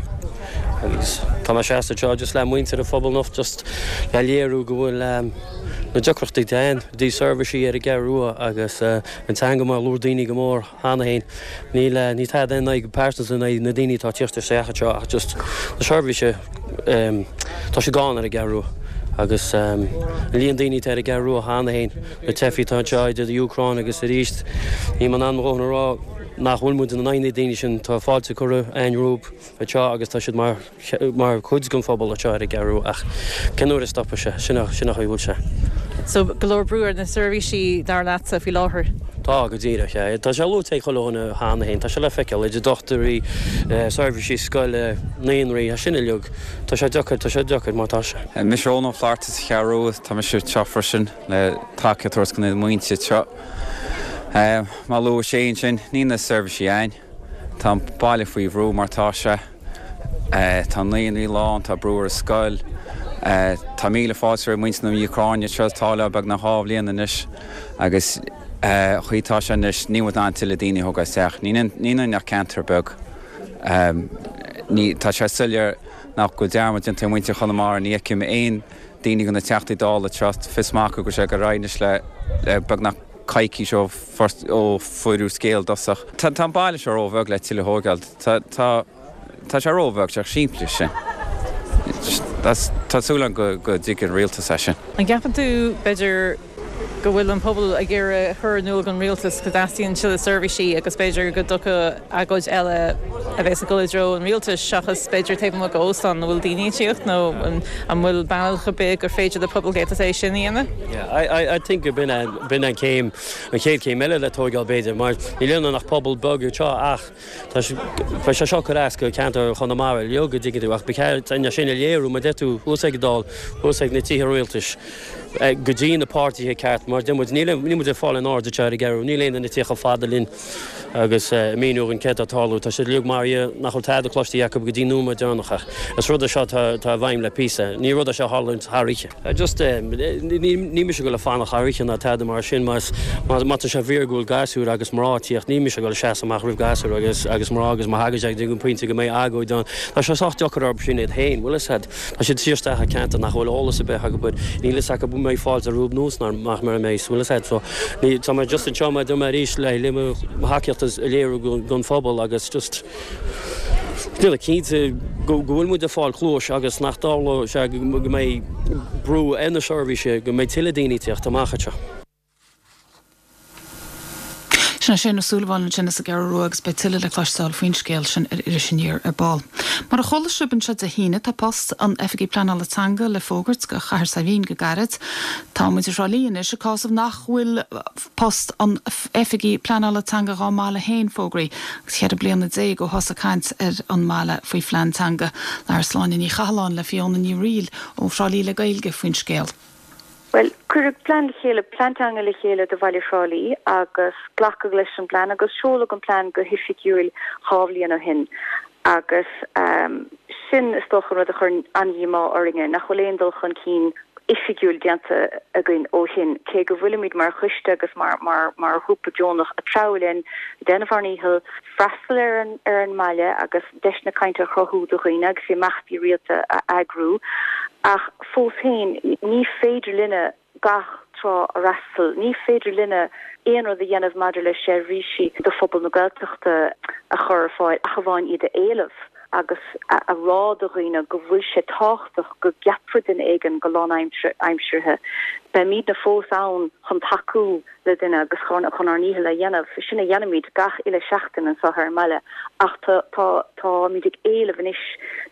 Speaker 17: agus tá mé seasta anseo just le muintir an phobail anocht just le léiriú go bhfuil na deacrachtaí atá ann i dtaobh seirbhísí ar an gCeathrú Rua agus an teanga mar a labhair daoine go mór cheana féin. Níl níl tada in aghaidh pearsanta in aghaidh na daoine atá ag tíocht isteach anseo ach just na seirbhísí tá siad gann ar an gCeathrú Rua agus an líon daoine atá ar an gCeathrú Rua cheana féin, na teifigh atá anseo idir an Úcráin agus arís níl mé in ann mo dhóthain a rá nach bhfuil muid in aghaidh na daoine sin, tá fáilte curtha againn rompu anseo agus tá siad mar mar chuid den phobal anseo ar an gCeathrú Rua ach cén uair a stopfaidh sé? Sin an sin an chaoi a bhfuil sé.
Speaker 16: So go leor brú ar na seirbhísí dar leatsa faoi láthair?
Speaker 17: Tá, go díreach, yeah. Tá sé luaite ag chuile dhuine cheana féin, tá sé le feiceáil, idir dochtúirí, seirbhísí scoile, naíonraí, sin uilig. Tá sé deacair, tá sé deacair mar tá sé.
Speaker 18: Mise Eoin Ó Flatharta sa Cheathrú Rua, tá mise anseo freisin le tacaíocht a thabhairt do na muintir anseo. Mar a luaigh sé ansin, níl na seirbhísí againn. Tá an baile faoi bhrú mar tá sé. Tá naíonraí lán, tá brú ar an scoil. Tá míle fáilte roimh muintir na Úcráine anseo, tá le beagnach dhá bhliain anois agus an chaoi atá sé anois níl muid in ann tuilleadh daoine a thógáil isteach. Níl ionainn ach ceantar beag. Tá sé soiléir nach bhfuil dearmad déanta ar mhuintir Chonamara, ní fheicim aon daoine de na Teachtaí Dála anseo, fios maith acu go bhfuil sé ag dul ar aghaidh anois le beagnach coicís ó fuaireadh scéal i dtosach. Tá an baile seo róbheag le tuilleadh a thógáil. Tá, tá, tá sé róbheag, sé chomh simplí sin. Tá súil agam go, go dtuigfidh an rialtas é sin.
Speaker 16: An gceapann tú, b'fhéidir, go bhfuil an pobal ag iarraidh a chur in iúl don rialtas go dteastaíonn tuilleadh seirbhísí agus b'fhéidir go dtiocfadh agóid eile a bheas ag dul i dtreo an rialtais seachas b'fhéidir taobh amuigh d'óstán a bhfuil daoine ag tíocht nó an bhfuil bealach ar bith gur féidir le pobal Gaeltachta é sin a dhéanamh?
Speaker 17: Yeah, I, I, I think b'in é, b'in an chéim, an chéad chéim eile le tóigeáil b'fhéidir mar níl ionainn ach pobal beag anseo ach tá sé, beidh sé seo ag cur as go ceantar Chonamara uilig an dtuigeann tú ach ba cheart é sin a léiriú mar deir tú thuas ag an Dáil, thuas ag na tithe rialtais. go dtí na páirtithe ceart mar deir muid, níl muid ag fáil aon aird anseo ar an gCeathrú, níl aon duine ag tíocht chomh fada linn agus ag míniú dhúinn céard atá ag tarlú. Tá siad uilig mar nach bhfuil tada cloiste acu go dtí an nóiméad deireanach ach is rud é seo atá i bhfeidhm le píosa. Ní rud é seo a tharlaíonn thar oíche. Just níl mise ag dul ag fanacht thar oíche ná tada mar sin má tá sé fíor go bhfuil gasúir agus mná ag tíocht, níl mise ag dul ag seasamh amach roimh gasúir agus mná agus má thagann sé go dtí an pointe go mbeidh agóid ann, tá sé sách deacair orthu sin iad féin, bhfuil fhios a'd. Tá siad ag tíocht isteach i ceantar nach bhfuil eolas ar bith acu air. Níl fhios acu an mbeidh fáilte rompu nó nach mbeidh, bhfuil fhios a'd. So, ní, tá mé just anseo mar a dúirt mé arís le, le mo thacaíocht a léiriú don phobal agus just déanamh cinnte go, go bhfuil muid ag fáil cluais agus nach dtarlóidh sé go mbeidh brú ar na seirbhísí, go mbeidh tuilleadh daoine ag tíocht amach anseo.
Speaker 1: Sin é Shane Ó Súilleabháin ansin as an gCeathrú Rua agus beidh tuilleadh le cloisteáil faoin scéal sin ar Iris Aniar ar ball. Mar a chuala sibh anseo Dé hAoine, tá post an Oifigigh Pleanála Teanga le fógairt do Chathair Saidhbhín go gairid. Tá muintir Thrá Lí anois ag cásamh nach bhfuil post an Oifigigh Pleanála Teanga dhá mbaile féin fógraithe agus cheithre bliana déag ó thosaigh caint ar an mbaile faoi phlean teanga. Labhair Sláine Ní Chathalláin le Fiona Ní Fhrighil ó Thrá Lí le Gaeilge faoin scéal.
Speaker 19: Bhuel, cuireadh plean le chéile, plean teanga le chéile do bhaile Thrá Lí agus glacadh leis an bplean agus seoladh an plean go hoifigiúil dhá bhliain ó shin agus sin is dócha an rud a chuireann an-dhíomá orainne, nach bhfuil aon dul chun cinn oifigiúil déanta againn ó shin, cé go bhfuilimid mar choiste agus mar mar mar ghrúpa deonach ag treabhadh linn, ag déanamh ár ndícheall freastal ar an ar an mbaile agus deiseanna cainte a chruthú do dhaoine agus imeachtaí rialta a eagrú ach fós féin ní féidir linne gach trá a fhreastal, ní féidir linne aon rud a dhéanamh maidir le seirbhísí do phobal na Gaeltachta a chur ar fáil ach amháin iad a éileamh agus a rá do dhaoine go bhfuil sé tábhachtach go gceapfar duine éigin go lánaimseartha. Beimidne fós ann chun tacú le duine agus chun ár ndícheall a dhéanamh. Sin a dhéanaimid gach uile sheachtain anseo ar an mbaile ach tá, tá, táimid ag éileamh anois,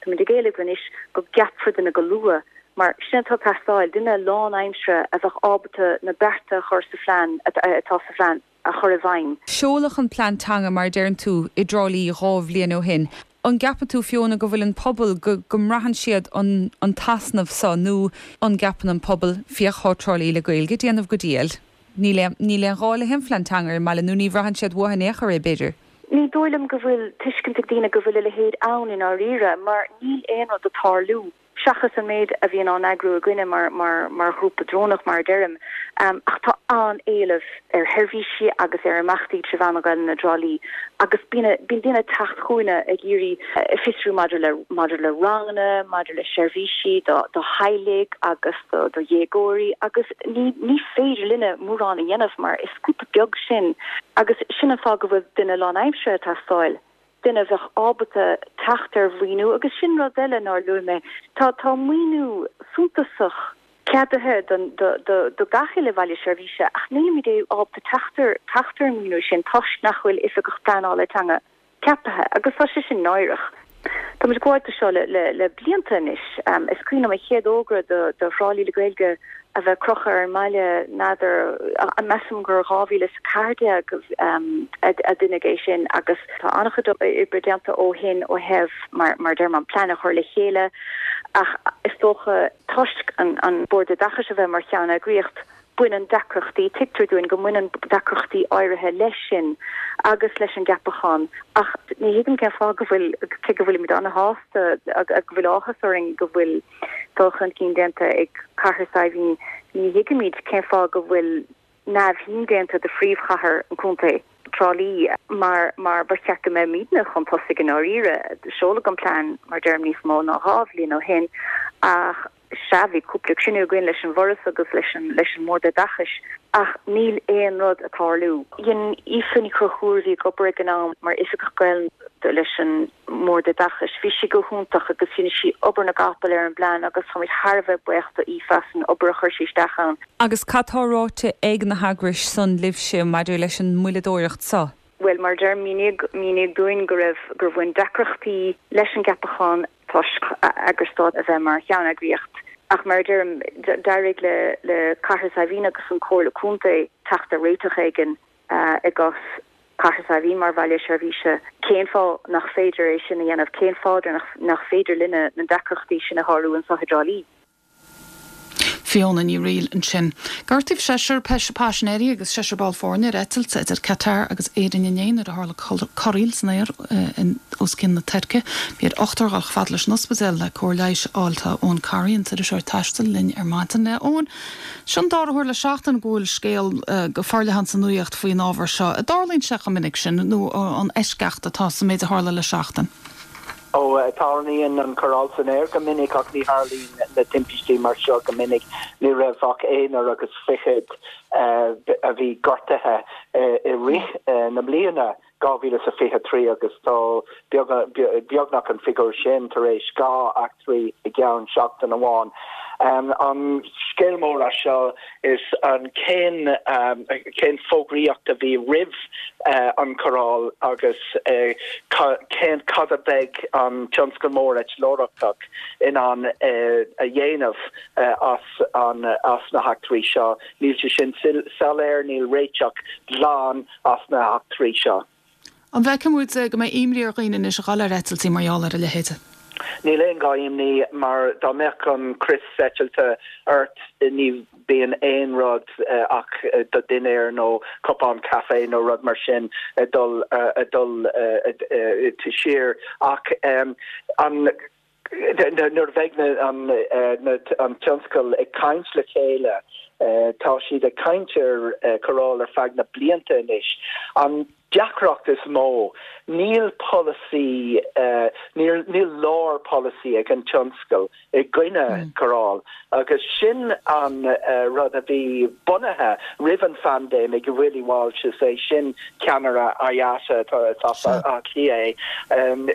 Speaker 19: táimid ag éileamh anois go gceapfar duine go luath. Mar sin atá ag teastáil, duine lánaimseartha a bheadh ábalta na bearta a chur sa phlean, atá sa phlean, a chur i bhfeidhm.
Speaker 5: Seoladh an plean teanga, mar a deireann tú, i dTrá Lí 2 bhliain ó shin. An gceapann tú, Fiona, go bhfuil an pobal, go go mbraitheann siad an an t-easnamh so nó an gceapann an pobal, féach thá Trá Lí le Gaeilge ag déanamh go diail, níl aon níl aon ghá le haon phlean teanga ar an mbaile nó ní bhraitheann siad uathu in aon chor é, b'fhéidir?
Speaker 19: Ní dóigh liom go bhfuil tuiscint ag daoine go bhfuil a leithéid ann i ndáiríre mar níl aon rud ag tarlú. seachas an méid a bhíonn á n-eagrú againne mar ghrúpa deonach, mar a deirim. Ach tá an-éileamh ar sheirbhísí agus ar imeachtaí trí mheán na Gaelainne i dTrá Lí agus bíonn daoine ag teacht chugainne ag iarraidh fiosrú maidir le maidir le ranganna, maidir le seirbhísí do theaghlaigh agus do dhéagóirí agus ní ní féidir linne mórán a dhéanamh mar is grúpa beag sinn agus sin an fáth go bhfuil duine lánaimseartha ag teastáil. duine a bheadh ábalta teacht ar mhaoiniú agus sin rud eile nár luaigh mé, tá tá maoiniú suntasach ceadaithe don do do do gach uile bhaile seirbhíse ach nílimid ábalta teacht ar teacht ar an maoiniú sin toisc nach bhfuil oifigeach pleanála teanga ceapaithe agus tá sé sin náireach. Tá muid ag gabháil do seo le le le blianta anois. Is cuimhin liom an chéad fhógra do do Thrá Lí le Gaeilge a bheith crochta ar an mbaile, n'fheadar, measaim gur 2014 a deineadh é sin agus tá an-chuid oibre déanta ó shin ó thaobh, mar a deirim, an plean a chur le chéile ach is dócha toisc an Bord Oideachais a bheith mar cheanneagraíocht, baineann deacrachtaí, tuigtear dúinn go mbaineann deacrachtaí áirithe leis sin agus leis an gceapachán ach ní thuigim cén fáth go bhfuil, cé go bhfuilimid an-shásta, go bhfuil áthas orainn go bhfuil dul chun cinn déanta ag Cathair Saidhbhín, ní thuigimid cén fáth go bhfuil neamhshuim déanta de phríomhchathair an chontae, Trá Lí, mar mar ba cheart go mbeimidne chun tosaigh i ndáiríre. Seoladh an plean, mar deirim, níos mó ná 2 bhliain ó shin ach sea, bhí cúpla cruinniú againn leis an bhForas agus leis an leis an mBord Oideachais ach níl aon rud ag tarlú. Dhein Aoife Ní Chonchúir, a bhí ag obair ag an am mar Oifigeach Gaelainne leis an mBord Oideachais. Bhí sí go hiontach agus dhein sí obair na gcapall ar an bplean agus táimid thar a bheith buíoch do Aoife as an obair a chuir sí isteach ann.
Speaker 5: Agus cad tá ráite ag na heagrais san libhse maidir leis an moilleadóireacht so?
Speaker 19: Bhuel, mar a deirim, míníodh, míníodh dúinn go raibh, gur bhain deacrachtaí leis an gceapachán toisc eagras stáit a bheith mar cheanneagraíocht. Ach mar a deirim, d'éirigh le, le Cathair Saidhbhín agus an Comhairle Contae teacht ar réiteach éigin i gcás Cathair Saidhbhín mar bhaile seirbhíse. Cén fáth nach féidir é sin a dhéanamh? Cén fáth nach féidir linne na deacrachtaí sin a shárú anseo i dTrá Lí?
Speaker 1: Fiona Ní Fhrighil ansin. Gortaíodh seisear paisinéirí agus seisear ball foirne ar eitilt idir Qatar agus Éirinn inné nuair a tharla corraíl san aer os cionn na Tuirce. Bhí ar ochtar dhul chomh fada leis an ospidéal le cóir leighis a fháil. Tá Eoin Corry, an t-iriseoir taistil, linn ar maidin. Eoin, Seo an dara huair le seachtain go bhfuil scéal go forleathan sa nuaíocht faoin ábhar seo. An dtarlaíonn sé chomh minic sin nó an eisceacht atá sa méid a tharla le seachtain?
Speaker 20: Ó, tarlaíonn an chorráil san aer go minic ach ní tharlaíonn na timpistí mar seo go minic. Ní raibh ach aonar agus fichead a bhí gortaithe i rith na bliana. 2023 agus tá beagnach an figiúr sin tar éis 2 eachtraí i gceann seachtain amháin. An scéal mór as seo is an cén cén fógraíocht a bhí roimh an chorráil agus cén cad a bheidh an tionscal mór eitleoireachtach in ann a dhéanamh as an as na heachtraí seo. Níl sé sin soiléir, níl réiteach glan as na heachtraí seo.
Speaker 1: An bhfeicfidh muid go mbeidh imní ar dhaoine anois a dhul ar eitiltí mar gheall ar a leithéide?
Speaker 20: Níl aon ghá imní mar dá mbeadh an crios eitilte ort ní bíonn aon rud ach do dhinnéar nó cupán caife nó rud mar sin ag dul ag dul siar ach an Nuair a bheidh an tionscal ag caint le chéile, tá siad ag caint ar chorráil ar feadh na blianta anois. An deacracht is mó, níl polasaí, níl lár polasaí ag an tionscal i gcoinne corráil agus sin an rud a bhí bunaithe roimh an phaindéim ag Willie Walsh, is é sin ceannaire IATA, is as Áth Cliath é.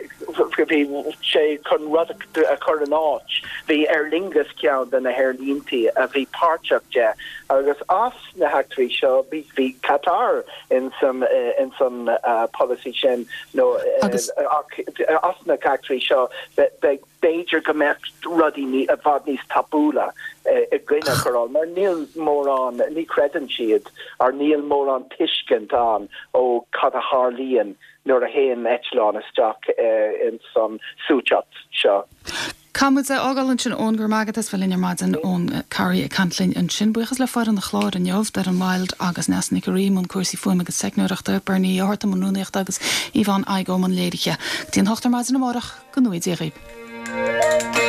Speaker 20: Bhí sé chun rud a chur in áit. Bhí Aer Lingus ceann de na haerlíntí a bhí páirteach de agus as na heachtraí seo bhí Qatar ins an. don pholasaí sin nó ach as na heachtraí seo beidh b'fhéidir go mbeadh rudaí i bhfad níos tapúla i gcoinne cóireáil mar níl mórán, ní chreideann siad or níl mórán tuiscint ann ó cad a tharlaíonn nuair a théann eitleán isteach ins an suaiteacht seo.
Speaker 1: Caithfidh muid é a fhágáil ansin Eoin, go raibh maith agat as bheith linn ar maidin, Eoin Carey ag caint linn ansin. Buíochas le foireann an chláir inniu, Doireann Wilde agus Neasa Nic an Rí i mbun cúrsaí fuaime agus teicneoireachta, Bernie Ó hEarta i mbun rúnaíochta agus Yvonne Igoe i mbun léirithe. Go dtí an hocht ar maidin amárach, go ngnóthaí Dia dhaoibh.